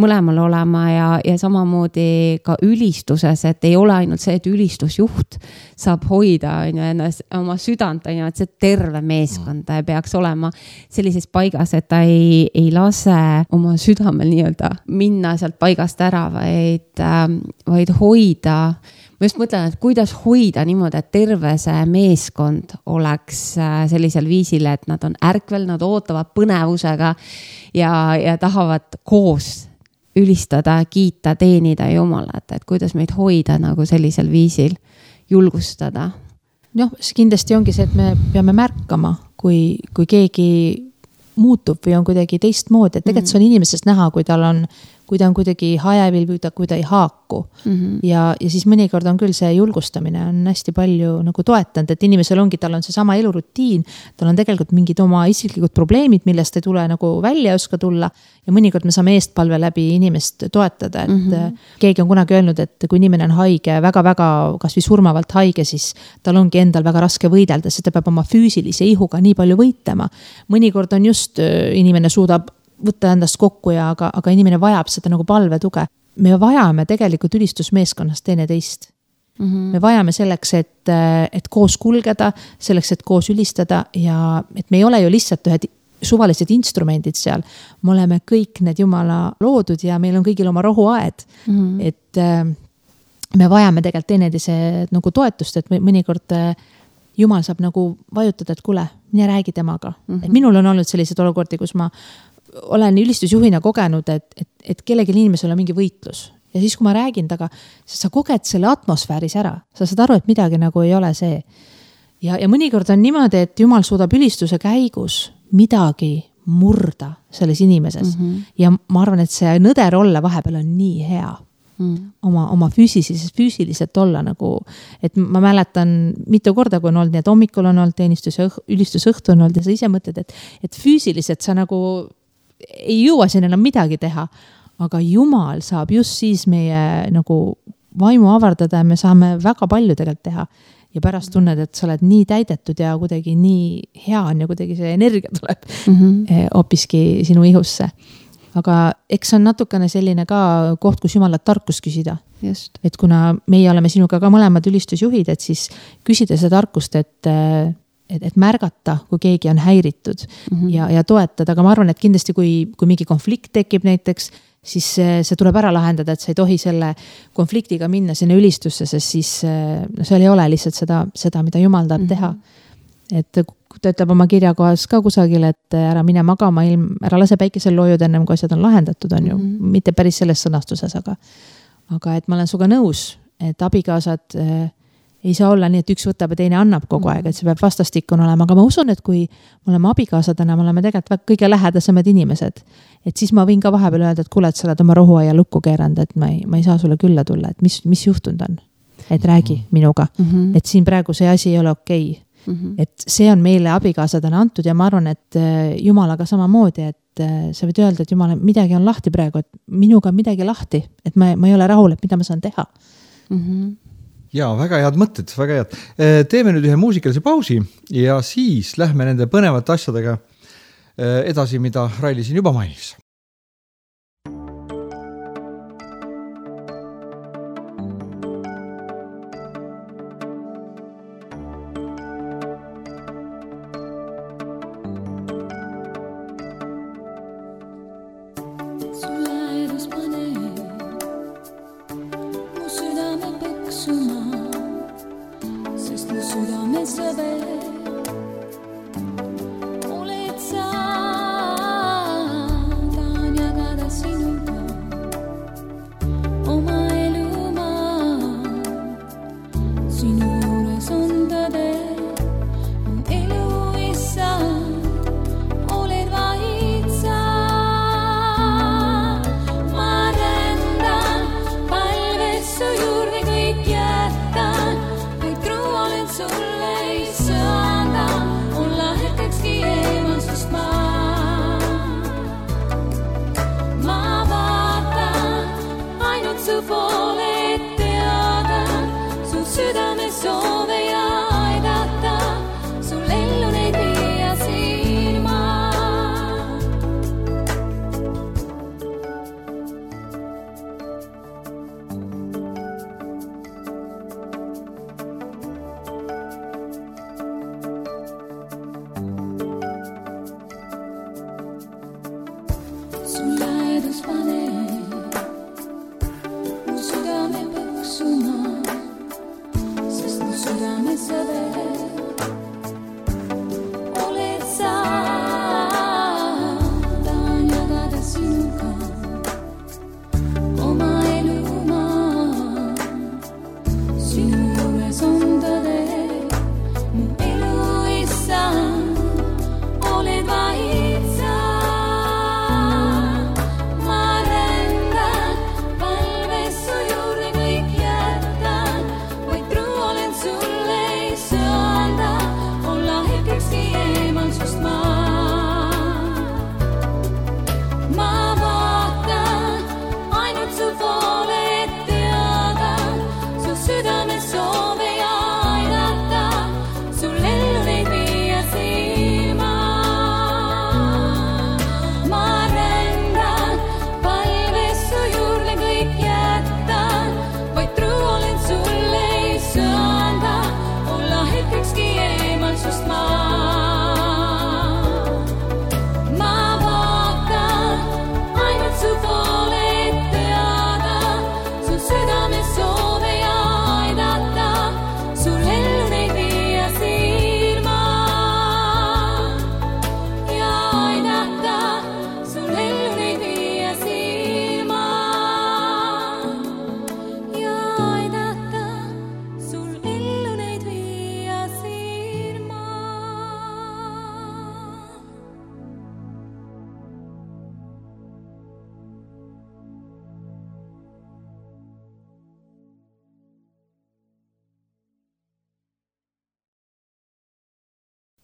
mõlemal olema ja, ja samamoodi ka ülistuses, et ei ole ainult see, et ülistusjuht saab hoida on ju, ennast, oma südant, on ju, et see terve meeskond peaks olema sellises paigas, et ta ei, ei lase oma südamel nii-öelda minna sealt paigast ära, vaid, vaid hoida. ma just mõtlen, et kuidas hoida niimoodi, et terve see meeskond oleks sellisel viisil, et nad on ärkvel, nad ootavad põnevusega ja, ja tahavad koos ülistada, kiita, teenida Jumalat, et kuidas meid hoida nagu sellisel viisil, julgustada. Noh, see kindlasti ongi see, et me peame märkama, kui, kui keegi muutub või on kuidagi teistmoodi, et tegelikult see on inimesest näha, kui tal on, kui ta on kuidagi hajevil või ta, kui ta ei haaku. Mm-hmm. Ja, ja siis mõnikord on küll see julgustamine on hästi palju nagu toetanud, et inimesel ongi, tal on see sama elurutiin, tal on tegelikult mingid oma isiklikud probleemid, millest ei tule nagu välja oska tulla ja mõnikord me saame eestpalve läbi inimest toetada, et mm-hmm. keegi on kunagi öelnud, et kui inimene on haige, väga-väga kas või surmavalt haige, siis tal ongi endal väga raske võidelda, sest ta peab oma füüsilise ihuga nii palju võitlema. Mõnikord on just inimene suudab võtta endast kokku ja aga, aga inimene vajab seda nagu palvetuge. Me vajame tegelikult ülistusmeeskonnast teine teist. Mm-hmm. Me vajame selleks, et, et koos kulgeda, selleks, et koos ülistada ja et me ei ole ju lihtsalt ühed suvalised instrumendid seal. Me oleme kõik need Jumala loodud ja meil on kõigil oma rohuaed. Mm-hmm. Et me vajame tegelikult teineteise nagu toetust, et mõnikord Jumal saab nagu vajutada, et kuule, mine räägi temaga. Mm-hmm. Et minul on olnud sellised olukordi, kus ma olen ülistusjuhina kogenud, et, et, et kellegi inimesel on mingi võitlus. Ja siis, kui ma räägin taga, sa koged selle atmosfääris ära. Sa saad aru, et midagi nagu ei ole see. Ja, ja mõnikord on niimoodi, et Jumal suudab ülistuse käigus midagi murda selles inimeses. Mm-hmm. Ja ma arvan, et see nõder olla vahepeal on nii hea. Mm. Oma, oma füüsiliselt, füüsiliselt olla nagu, et ma mäletan mitu korda, kui on olnud, nii et hommikul on olnud teenistus ja ülistusõhtu on olnud ja sa ise mõtled, et, et füüsiliselt sa nagu ei jõua siin enam midagi teha, aga Jumal saab just siis meie nagu vaimu avardada ja me saame väga palju tegelikult teha ja pärast tunned, et sa oled nii täidetud ja kuidagi nii hea on ja kuidagi see energia tuleb mm-hmm. hoopiski sinu ihusse. Aga eks on natukene selline ka koht, kus Jumalat tarkust küsida. Just. Et kuna meie oleme sinuga ka mõlemad ülistusjuhid, et siis küsida seda tarkust, et, et, et märgata, kui keegi on häiritud mm-hmm. ja, ja toetada. Aga ma arvan, et kindlasti kui, kui mingi konflikt tekib näiteks, siis see tuleb ära lahendada, et sa ei tohi selle konfliktiga minna sinna ülistusse, sest siis no, seal ei ole lihtsalt seda, seda mida Jumal tahab mm-hmm. teha. Et ta ütleb oma kirjakohas ka kusagil, et ära mine magama, ilm, ära lase päikesel loojud ennem, kui asjad on lahendatud, on ju. Mm-hmm. Mitte päris selles sõnastuses, aga, aga et ma olen suga nõus, et abikaasad äh, ei saa olla nii, et üks võtab ja teine annab kogu mm-hmm. aeg, et see peab vastastikun olema. Aga ma usun, et kui me oleme abikaasadena, me oleme tegelikult kõige lähedasemad inimesed, et siis ma võin ka vahepeal öelda, et kuule, et sa oled oma rohuaia lukku keeranud, et ma ei, ma ei saa sulle külla tulla, et mis, mis juhtunud on, et räägi mm-hmm. minuga, mm-hmm. et siin praegu see asi ei ole okei. Mm-hmm. Et see on meile abikaasadena antud ja ma arvan, et Jumalaga samamoodi, et sa võid öelda, et Jumal, midagi on lahti praegu, et minuga on midagi lahti, et ma, ma ei ole rahul, et mida ma saan teha. Mm-hmm. Ja, väga head mõtted, väga head. Teeme nüüd ühe muusikalise pausi ja siis lähme nende põnevate asjadega edasi, mida Raili siin juba mainis.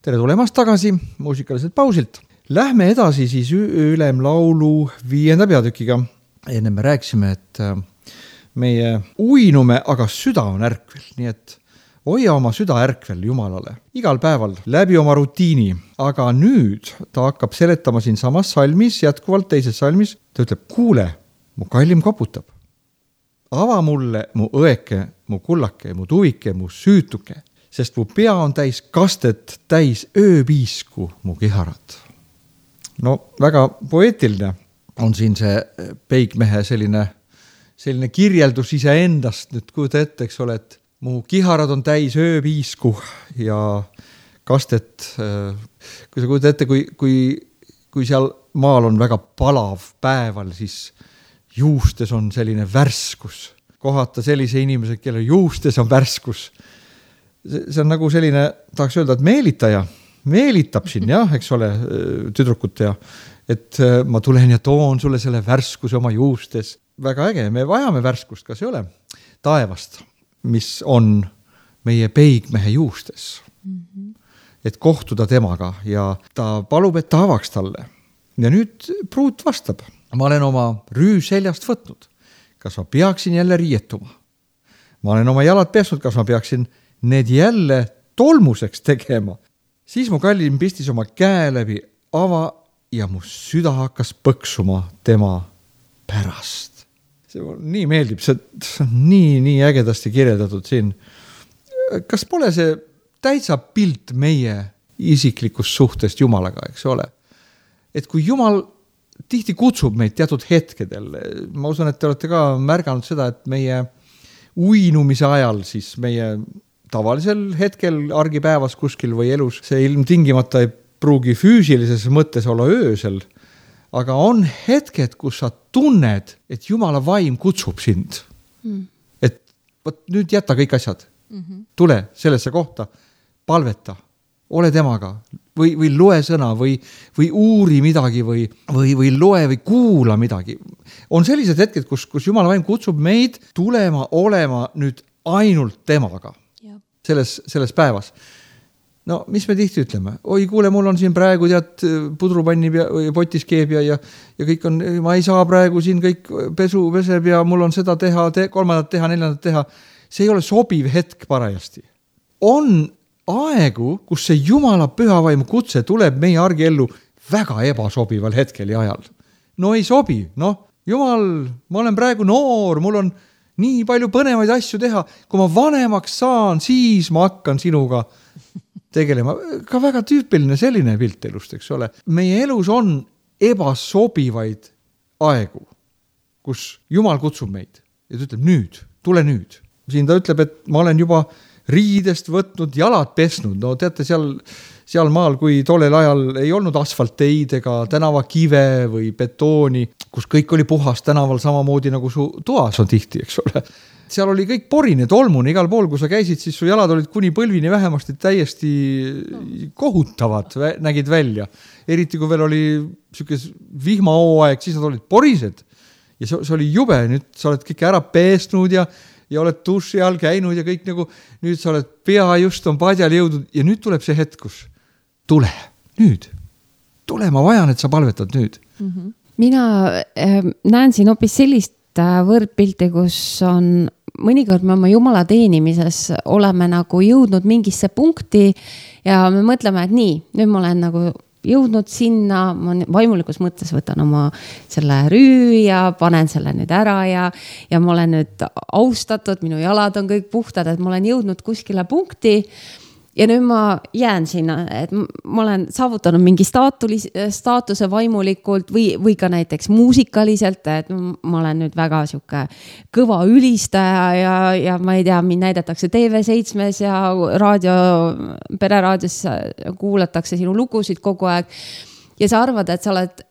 tere tulemast tagasi muusikaliselt pausilt. Lähme edasi siis ülemlaulu viienda peatükiga. Enne me rääkisime, et meie uinume, aga süda on ärkvel, nii et hoia oma süda ärkvel Jumalale igal päeval läbi oma rutiini. Aga nüüd ta hakkab seletama siin samas salmis, jätkuvalt teises salmis. Ta ütleb, kuule, mu kallim koputab. Ava mulle mu õeke, mu kullake, mu tuvike, mu süütuke, sest mu pea on täis kastet, täis ööpiisku mu kiharat. No väga poeetiline on siin see Peigmehe selline, selline kirjeldus iseendast. Nüüd kujuta ette, eks ole, et mu kiharad on täis ööpiisku ja kastet. Kui sa kujuta ette, kui, kui, kui seal maal on väga palav päeval, siis juustes on selline värskus. Kohata sellise inimese, kelle juustes on värskus. See on nagu selline, tahaks öelda, et meelitaja. Meelitab siin, jah, eks ole, tüdrukut ja et ma tulen ja toon sulle selle värskuse oma juustes. Väga äge, me vajame värskust, kas ei ole? Taevast, mis on meie Peigmehe juustes. Mm-hmm. Et kohtuda temaga ja ta palub, et ta avaks talle. Ja nüüd pruut vastab. Ma olen oma rüü seljast võtnud. Kas ma peaksin jälle riietuma? Ma olen oma jalad pesnud, kas ma peaksin need jälle tolmuseks tegema? Siis mu kallim pistis oma käe läbi ava ja mu süda hakkas põksuma tema pärast. See nii meeldib, see on nii, nii ägedasti kirjeldatud siin. Kas pole see täitsa pilt meie isiklikust suhtest Jumalaga, eks ole? Et kui Jumal tihti kutsub meid teatud hetkedel, ma usun, et te olete ka märganud seda, et meie uinumise ajal siis meie tavalisel hetkel argipäevas kuskil või elus, see ilmtingimata ei pruugi füüsilises mõttes olla öösel, aga on hetked, kus sa tunned, et Jumala vaim kutsub sind. Mm. Et võt, nüüd jäta kõik asjad. Mm-hmm. Tule sellesse kohta, palveta, ole temaga või, või loe sõna või, või uuri midagi või, või, või loe või kuula midagi. On sellised hetked, kus, kus Jumala vaim kutsub meid tulema, olema nüüd ainult temaga. Selles, selles päevas. No, mis me tihti ütleme? Oi, kuule, mul on siin praegu tead pudrupanni või potis keeb ja, ja, ja kõik on, ma ei saa praegu siin kõik pesu peseb ja mul on seda teha, te, kolmandat teha, neljandat teha. See ei ole sobiv hetk parajasti. On aegu, kus see Jumala pühavaimu kutse tuleb meie argiellu väga ebasobival hetkel ja ajal. No ei sobi, noh, Jumal, ma olen praegu noor, mul on nii palju põnevaid asju teha. Kui ma vanemaks saan, siis ma hakkan sinuga tegelema. Ka väga tüüpiline selline pilt elust, eks ole. Meie elus on ebasobivaid aegu, kus Jumal kutsub meid ja ta ütleb nüüd, tule nüüd. Siin ta ütleb, et ma olen juba riidest võtnud, jalad pesnud. No teate, seal, seal maal, kui tollel ajal ei olnud asfalteid ega tänavakive või betooni, kus kõik oli puhas tänaval samamoodi nagu su toas on tihti, eks ole. Seal oli kõik porine, tolmune, igal pool, kui sa käisid, siis su jalad olid kuni põlvini vähemasti täiesti kohutavad, nägid välja. Eriti kui veel oli sükes vihmahooaeg, siis nad olid porised. Ja see, see oli jube, nüüd sa oled kõik ära peesnud ja ja oled duši all käinud ja kõik nagu, nüüd sa oled pea just on padjal jõudnud ja nüüd tuleb see hetk, kus tule, nüüd, tule, ma vajan, et sa palvetad nüüd. Mm-hmm. Mina äh, näen siin hoopis sellist äh, võrdpilti, kus on mõnikord me oma Jumala teenimises oleme nagu jõudnud mingisse punkti ja me mõtleme, et nii, nüüd ma olen nagu jõudnud sinna, ma vaimulikus mõttes võtan oma selle rüü ja panen selle nüüd ära ja, ja ma olen nüüd austatud, minu jalad on kõik puhtad, et ma olen jõudnud kuskile punkti ja nüüd ma jään sinna, et ma olen saavutanud mingi staatulis, staatuse vaimulikult või, või ka näiteks muusikaliselt, et ma olen nüüd väga siuke kõva ülistaja ja, ja ma ei tea, mind näidatakse T V seitsmes ja raadio, pereraadios kuulatakse sinu lugusid kogu aeg ja sa arvad, et sa oled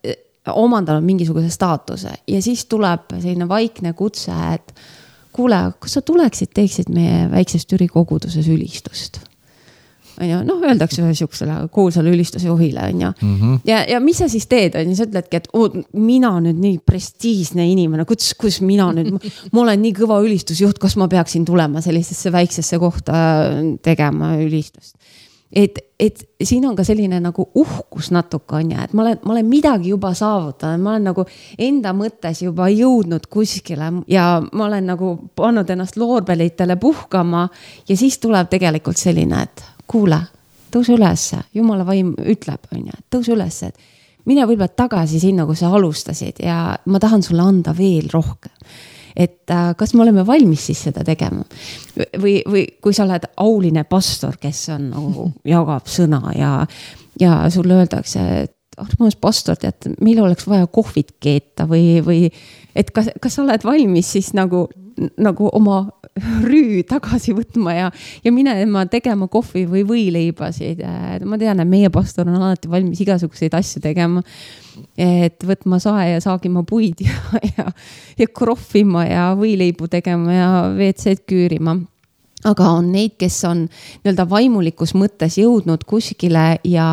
omandanud mingisuguse staatuse ja siis tuleb selline vaikne kutse, et kuule, kas sa tuleksid, teeksid meie väikses Türi koguduses ülistust? noh, öeldakse ühe siuksele kuulsale ülistusjuhile, on ju. Mm-hmm. Ja, ja mis sa siis teed, on ju, sa ütledki, et oh, mina nüüd nii prestiisne inimene, kus, kus mina nüüd, ma olen nii kõva ülistusjuht, kas ma peaksin tulema sellisesse väiksesse kohta tegema ülistust. et, et siin on ka selline nagu uhkus natuke on ja, et ma olen, ma olen midagi juba saavutanud, ma olen nagu enda mõttes juba jõudnud kuskile ja ma olen nagu pannud ennast loorbelitele puhkama ja siis tuleb tegelikult selline, et kuule, tõuse ülesse, Jumala vaim ütleb, on ja, tõuse ülesse, et mine võib-olla tagasi sinna, kus sa alustasid ja ma tahan sulle anda veel rohkem. Et äh, kas me oleme valmis siis seda tegema või, või kui sa oled auline pastor, kes on nagu jagab sõna ja, ja sulle öeldakse, et armas pastor, tead, meil oleks vaja kohvit keeta või, või et kas, kas sa oled valmis siis nagu, nagu oma rüü tagasi võtma ja, ja minema tegema kohvi või võileibasid. Ma tean, et meie pastor on alati valmis igasuguseid asju tegema, et võtma sae ja saagima puid ja, ja, ja krohvima ja võileibu tegema ja V C-d küürima. Aga on neid, kes on nii-öelda vaimulikus mõttes jõudnud kuskile ja,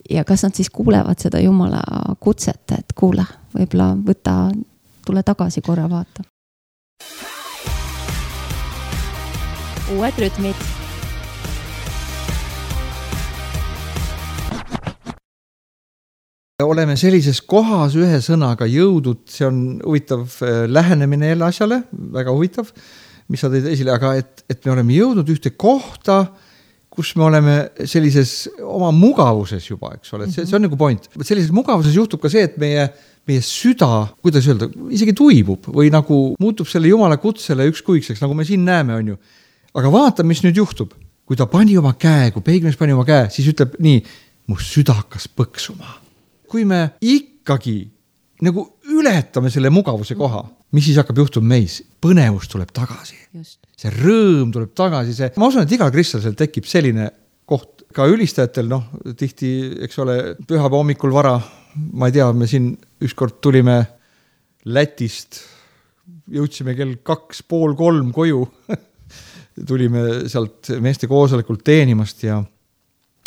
ja kas nad siis kuulevad seda Jumala kutset, et kuule, võib-olla võta, tule tagasi korra vaata. Uued rütmid. Oleme sellises kohas ühe sõnaga jõudnud, see on huvitav lähenemine jälle asjale, väga huvitav, mis sa tõid esile, aga et, et me oleme jõudnud ühte kohta, kus me oleme sellises oma mugavuses juba, eks ole, see, see on nagu point. Sellises mugavuses juhtub ka see, et meie, meie süda, kuidas öelda, isegi tuibub või nagu muutub selle Jumala kutsele ükskõikseks, nagu me siin näeme, on ju. Aga vaata, mis nüüd juhtub. Kui ta pani oma käe, kui peigmees pani oma käe, siis ütleb nii, mu süda hakkas põksuma. Kui me ikkagi nagu ületame selle mugavuse koha, mis siis hakkab juhtuma meis? Põnevus tuleb tagasi. Just. See rõõm tuleb tagasi. See, ma usun, et igal kristlasel tekib selline koht. Ka ülistajatel, noh, tihti, eks ole, pühapäeva hommikul vara, ma ei tea, me siin ükskord tulime Lätist, jõudsime kell kaks, pool kolm koju, tulime sealt meeste koosolekult teenimast ja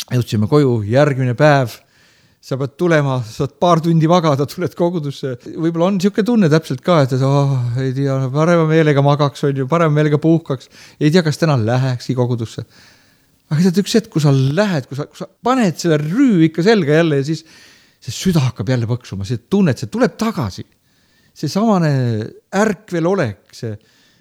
jõudsime koju, järgmine päev, sa pead tulema, saad paar tundi vagada, tuled kogudusse. Võib-olla on niisugune tunne täpselt ka, et oh, ei tea, parema meelega magaks, on ju, parema meelega puhkaks, ei tea, kas täna lähekski kogudusse. Aga tead, üks hetk, kui sa lähed, kui sa, kui sa paned selle rüü ikka selga jälle ja siis see süda hakkab jälle põksuma, see tunned, see tuleb tagasi. See samane ärkvel olek, see,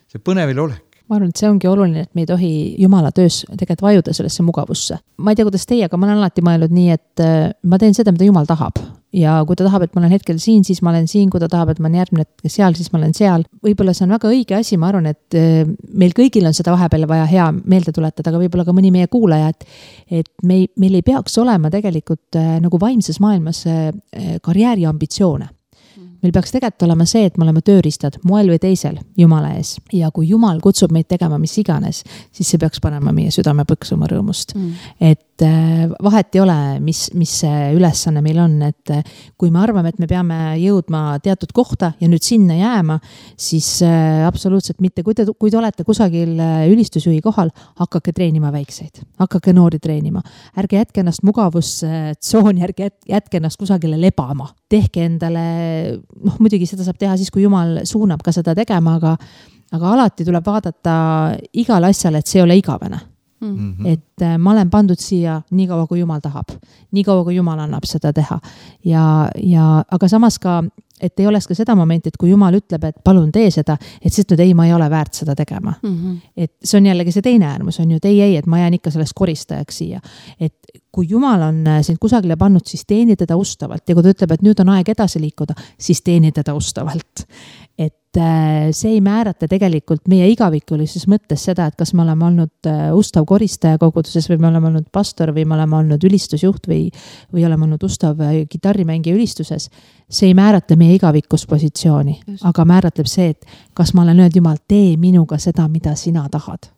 see põnevil olek. Ma arvan, et see ongi oluline, et me ei tohi Jumala töös tegelikult vajuda sellesse mugavusse. Ma ei tea, kuidas teie, aga ma olen alati mõelnud nii, et ma teen seda, mida Jumal tahab. Ja kui ta tahab, et ma olen hetkel siin, siis ma olen siin, kui ta tahab, et ma olen järgmine hetkel seal, siis ma olen seal. Võib-olla see on väga õige asi, ma arvan, et meil kõigil on seda vahepeal vaja hea meelde tuletada, aga võib-olla ka mõni meie kuulaja, et, et meil, meil ei peaks olema tegelikult nagu vaimses maailmas karjääri ambitsioone. Meil peaks tegelikult olema see, et me oleme tööriistad moel või teisel Jumala ees. Ja kui Jumal kutsub meid tegema mis iganes, siis see peaks panema meie südame põksuma rõõmust. Mm. Et vahet ei ole, mis, mis see ülesanne meil on, et kui me arvame, et me peame jõudma teatud kohta ja nüüd sinna jääma, siis absoluutselt mitte. Kui te, kui te olete kusagil ülistusjuhi kohal, hakake treenima väikseid, hakake noori treenima. Ärge jätke ennast mugavustsooni, ärge jätke ennast kusagile lebama. Tehke endale, noh muidugi seda saab teha siis, kui Jumal suunab ka seda tegema, aga, aga alati tuleb vaadata igal asjal, et see ei ole igavene. Mm-hmm. Et ma olen pandud siia nii kaua, kui Jumal tahab. Nii kaua, kui Jumal annab seda teha. Ja, ja, aga samas ka, et ei oleks ka seda momenti, et kui Jumal ütleb, et palun tee seda, et siis nüüd ei, ma ei ole väärt seda tegema. Mm-hmm. Et see on jällegi see teine äärmus, on ju, et ei, ei, et ma jään ikka sellest koristajaks siia. Et kui Jumal on sind kusagile pannud, siis teeni teda ustavalt. Ja kui ta ütleb, et nüüd on aeg edasi liikuda, siis teeni teda ustavalt. Et see ei määrata tegelikult meie igavikulises mõttes seda, et kas me oleme olnud ustav koristaja koguduses või me oleme olnud pastor või me oleme olnud ülistusjuht või, või oleme olnud ustav kitarrimängija ülistuses. See ei määrata meie igavikus positsiooni, Just. aga määratleb see, et kas ma olen öelnud, Jumal, tee minuga seda, mida sina tahad.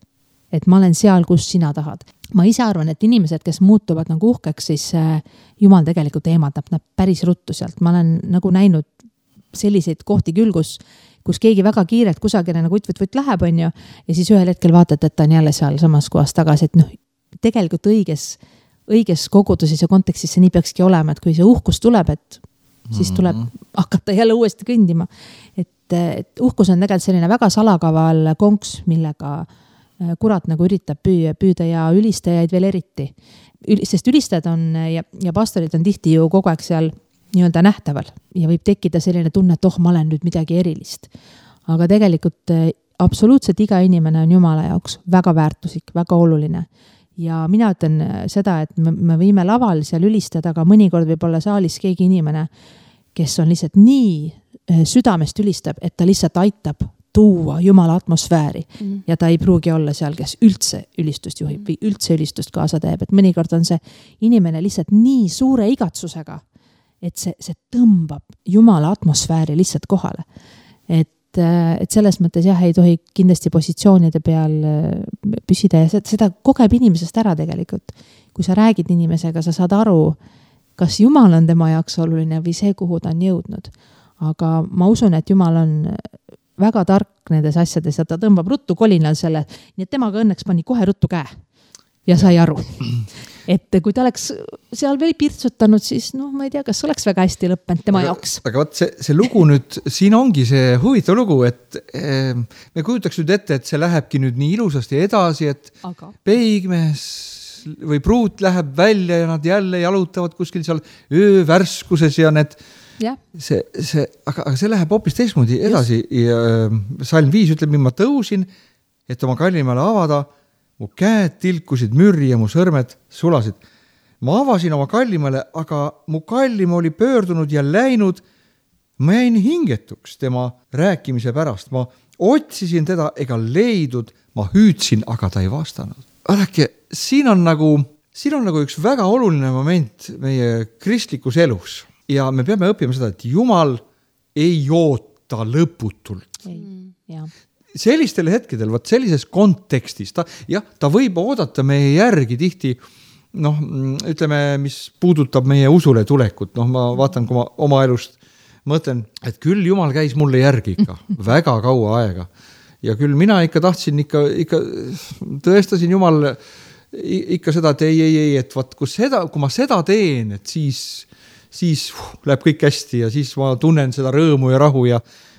Et ma olen seal, kus sina tahad. Ma ise arvan, et inimesed, kes muutuvad nagu uhkeks, siis Jumal tegelikult eemaldab nad päris ruttu sealt. Ma olen nagu näinud selliseid kohti küll, kus, kus keegi väga kiirelt kusagile nagu võt-võt-võt läheb, on ju, ja siis ühel hetkel vaatad, et ta on jälle seal samas kohas tagasi, et noh, tegelikult õiges, õiges koguduses ja kontekstis see nii peakski olema, et kui see uhkus tuleb, et siis tuleb hakata jälle uuesti kõndima. Et, et uhkus on tegelikult selline väga salakaval konks, millega kurat nagu üritab püüa, püüda ja ülistajaid veel eriti. Sest ülistajad on ja, ja pastorid on tihti ju kogu aeg seal nii-öelda nähtaval ja võib tekkida selline tunne, et oh, ma olen nüüd midagi erilist. Aga tegelikult absoluutselt iga inimene on Jumala jaoks väga väärtuslik, väga oluline. Ja mina ütlen seda, et me, me võime laval seal ülistada, aga mõnikord võib olla saalis keegi inimene, kes on lihtsalt nii südamest ülistab, et ta lihtsalt aitab tuua Jumala atmosfääri mm. ja ta ei pruugi olla seal, kes üldse ülistust juhib või üldse ülistust kaasa teeb, et mõnikord on see inimene lihtsalt nii suure igatsusega, et see, see tõmbab Jumala atmosfääri lihtsalt kohale. Et, et selles mõttes jah, ei tohi kindlasti positsioonide peal püsida ja seda kogeb inimesest ära tegelikult. Kui sa räägid inimesega, sa saad aru, kas Jumal on tema jaoks oluline või see, kuhu ta on jõudnud. Aga ma usun, et Jumal on väga tark nendes asjades ja ta tõmbab ruttu kolinal selle, nii et temaga õnneks pani kohe ruttu käe ja sai aru. Et kui ta oleks seal veel pirtsutanud, siis noh, ma ei tea, kas oleks väga hästi lõppenud tema aga, jaoks. Aga võt, see, see lugu nüüd, siin ongi see huvitav lugu, et eh, me kujutaks nüüd ette, et see lähebki nüüd nii ilusasti edasi, et aga. Peigmees või pruut läheb välja ja nad jälle jalutavad kuskil seal öövärskuses ja need Ja. See, see, aga, aga see läheb hoopis teistmoodi edasi ja salm viis ütleb, ma tõusin, et oma kallimale avada, mu käed tilkusid mürri ja mu sõrmed sulasid. Ma avasin oma kallimale, aga mu kallim oli pöördunud ja läinud. Ma jäin hingetuks tema rääkimise pärast. Ma otsisin teda ega leidud, ma hüüdsin, aga ta ei vastanud. Vaadake, siin on nagu, siin on nagu üks väga oluline moment meie kristlikus elus. Ja me peame õppima seda, et Jumal ei oota lõputult. Ei, jah. Sellistel hetkedel, võt sellises kontekstis, ta, jah, ta võib oodata meie järgi tihti, noh, ütleme, mis puudutab meie usule tulekut. Noh, ma vaatan, kui ma oma elust mõtlen, et küll Jumal käis mulle järgi ikka väga kaua aega. Ja küll mina ikka tahtsin, ikka, ikka tõestasin Jumal ikka seda, et ei, ei, ei, et vaat, kui, seda, kui ma seda teen, et siis siis uh, läheb kõik hästi ja siis ma tunnen seda rõõmu ja rahu ja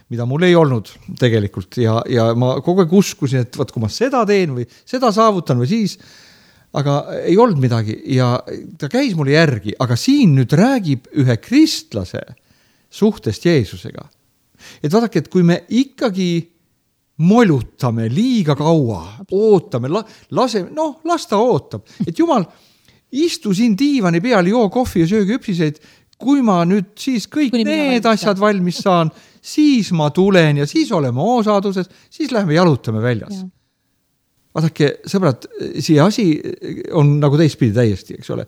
mida mul ei olnud tegelikult ja, ja ma kogu aeg uskusin, et vaat, kui ma seda teen või seda saavutan või siis, aga ei olnud midagi ja ta käis mulle järgi, aga siin nüüd räägib ühe kristlase suhtest Jeesusega. Et vaadake, et kui me ikkagi molutame liiga kaua, ootame, laseme, noh, las ta ootab, et Jumal istu siin diivani peal, joo kohvi ja söö küpsiseid, kui ma nüüd siis kõik Kuni need asjad valmis saan, siis ma tulen ja siis oleme oosaduses, siis läheme jalutame väljas. Ja. Vaadake, sõbrad, see asi on nagu teistpidi täiesti, eks ole.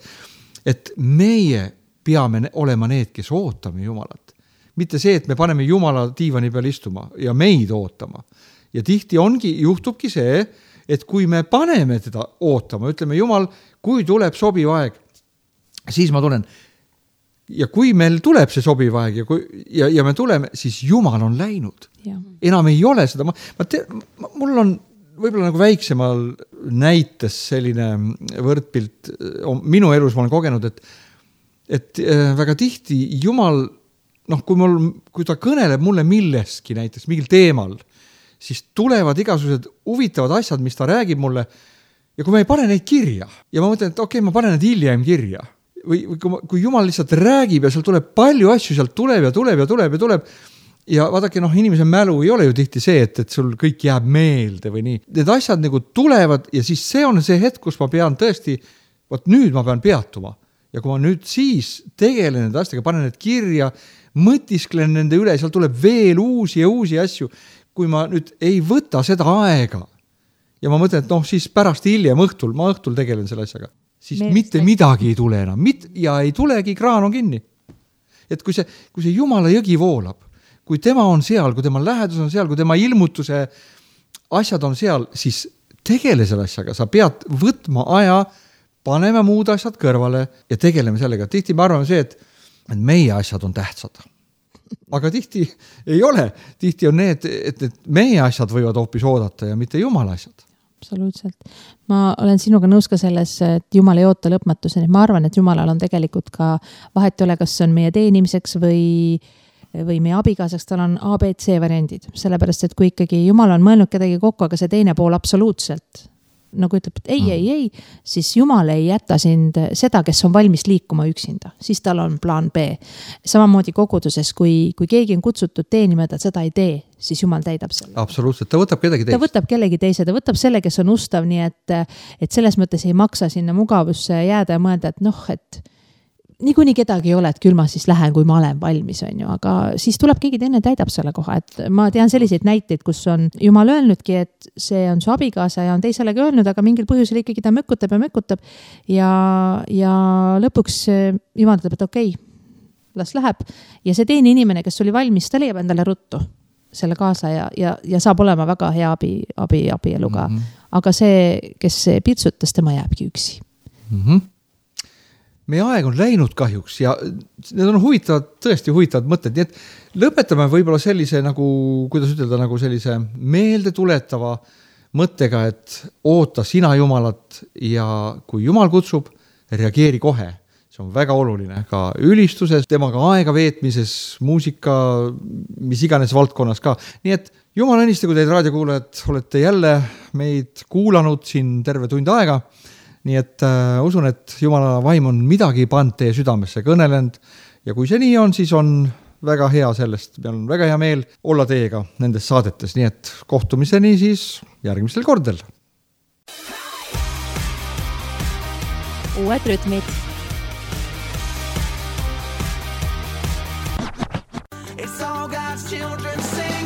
Et meie peame olema need, kes ootame Jumalat. Mitte see, et me paneme Jumala diivani peal istuma ja meid ootama. Ja tihti ongi, juhtubki see, et kui me paneme teda ootama, ütleme Jumal, kui tuleb sobiv aeg, siis ma tulen. Ja kui meil tuleb see sobiv aeg ja, kui, ja, ja me tuleme, siis Jumal on läinud. Ja. Enam ei ole seda. Ma, ma te, ma, mul on võib-olla nagu väiksemal näites selline võrdpilt. Minu elus ma olen kogenud, et, et väga tihti Jumal, noh, kui, mul, kui ta kõneleb mulle milleski näiteks, mingil teemal, siis tulevad igasugused huvitavad asjad, mis ta räägib mulle ja kui ma ei pane neid kirja ja ma mõtlen, et okei, okay, ma panen need hiljem kirja või, või kui, ma, kui Jumal lihtsalt räägib ja seal tuleb palju asju, sealt tuleb ja tuleb ja tuleb ja tuleb ja vaadake, noh, inimese mälu ei ole ju tihti see, et, et sul kõik jääb meelde või nii. Need asjad nagu tulevad ja siis see on see hetk, kus ma pean tõesti, võt nüüd ma pean peatuma ja kui ma nüüd siis tegelen nende asjadega, panen need kirja, mõtisklen nende üle, seal tuleb veel uusi ja uusi asju. Kui ma nüüd ei võta seda aega ja ma mõtlen, et noh, siis pärast hiljem õhtul, ma õhtul tegelen selle asjaga, siis Meelest mitte midagi ei tule enam mit, ja ei tulegi, kraan on kinni. Et kui see, kui see Jumala jõgi voolab, kui tema on seal, kui tema lähedus on seal, kui tema ilmutuse asjad on seal, siis tegele selle asjaga, sa pead võtma aja, paneme muud asjad kõrvale ja tegeleme sellega. Tihti me arvame see, et, et meie asjad on tähtsad. Aga tihti ei ole. Tihti on need, et, et meie asjad võivad hoopis oodata ja mitte Jumala asjad. Absoluutselt. Ma olen sinuga nõus ka selles, et Jumal ei oota lõpmatuseni. Ma arvan, et Jumalal on tegelikult ka vahet ole, kas on meie teenimiseks või või meie abikaasaks, tal on A, B, C variandid, sellepärast et kui ikkagi Jumal on mõelnud kedagi kokku, aga see teine pool absoluutselt nagu ütleb, et ei, ei, ei, siis Jumal ei jäta sind seda, kes on valmis liikuma üksinda, siis tal on plaan B. Samamoodi koguduses, kui, kui keegi on kutsutud teenima, et seda ei tee, siis Jumal täidab selle. Absoluutselt, ta võtab kedagi teist. Ta võtab kellegi teise, ta võtab selle, kes on ustav, nii et, et selles mõttes ei maksa sinna mugavusse jääda ja mõelda, et noh, et niikuinii kedagi ei ole, et küll ma siis lähen, kui ma olen valmis, on ju, aga siis tuleb keegi teine täidab selle koha, et ma tean selliseid näiteid, kus on Jumal öelnudki, et see on su abikaasa ja on teiselegi öelnud, aga mingil põhjusel ikkagi ta mökutab ja mökutab ja, ja lõpuks Jumal ütleb, et okei, las läheb ja see teine inimene, kes oli valmis, ta leiab endale ruttu selle kaasa ja, ja, ja saab olema väga hea abi, abi, abieluga, mm-hmm. aga see, kes pitsutas, tema jääbki üksi. Mhm. Meie aeg on läinud kahjuks ja need on huvitavad, tõesti huvitavad mõtted, nii et lõpetame võib-olla sellise nagu, kuidas ütelda, nagu sellise meelde tuletava mõttega, et oota sina Jumalat ja kui Jumal kutsub, reageeri kohe. See on väga oluline ka ülistuses, temaga aega veetmises, muusika, mis iganes valdkonnas ka. Nii et Jumal õnnistagu teid raadiokuulajad, olete jälle meid kuulanud siin terve tund aega. Nii et äh, usun, et Jumala vaim on midagi pannud teie südamesse kõnelenud ja kui see nii on, siis on väga hea sellest, meil on väga hea meel olla teiega nendes saadetes, nii et kohtumiseni siis järgmistel kordel. Uued rütmid. It's all God's children singing.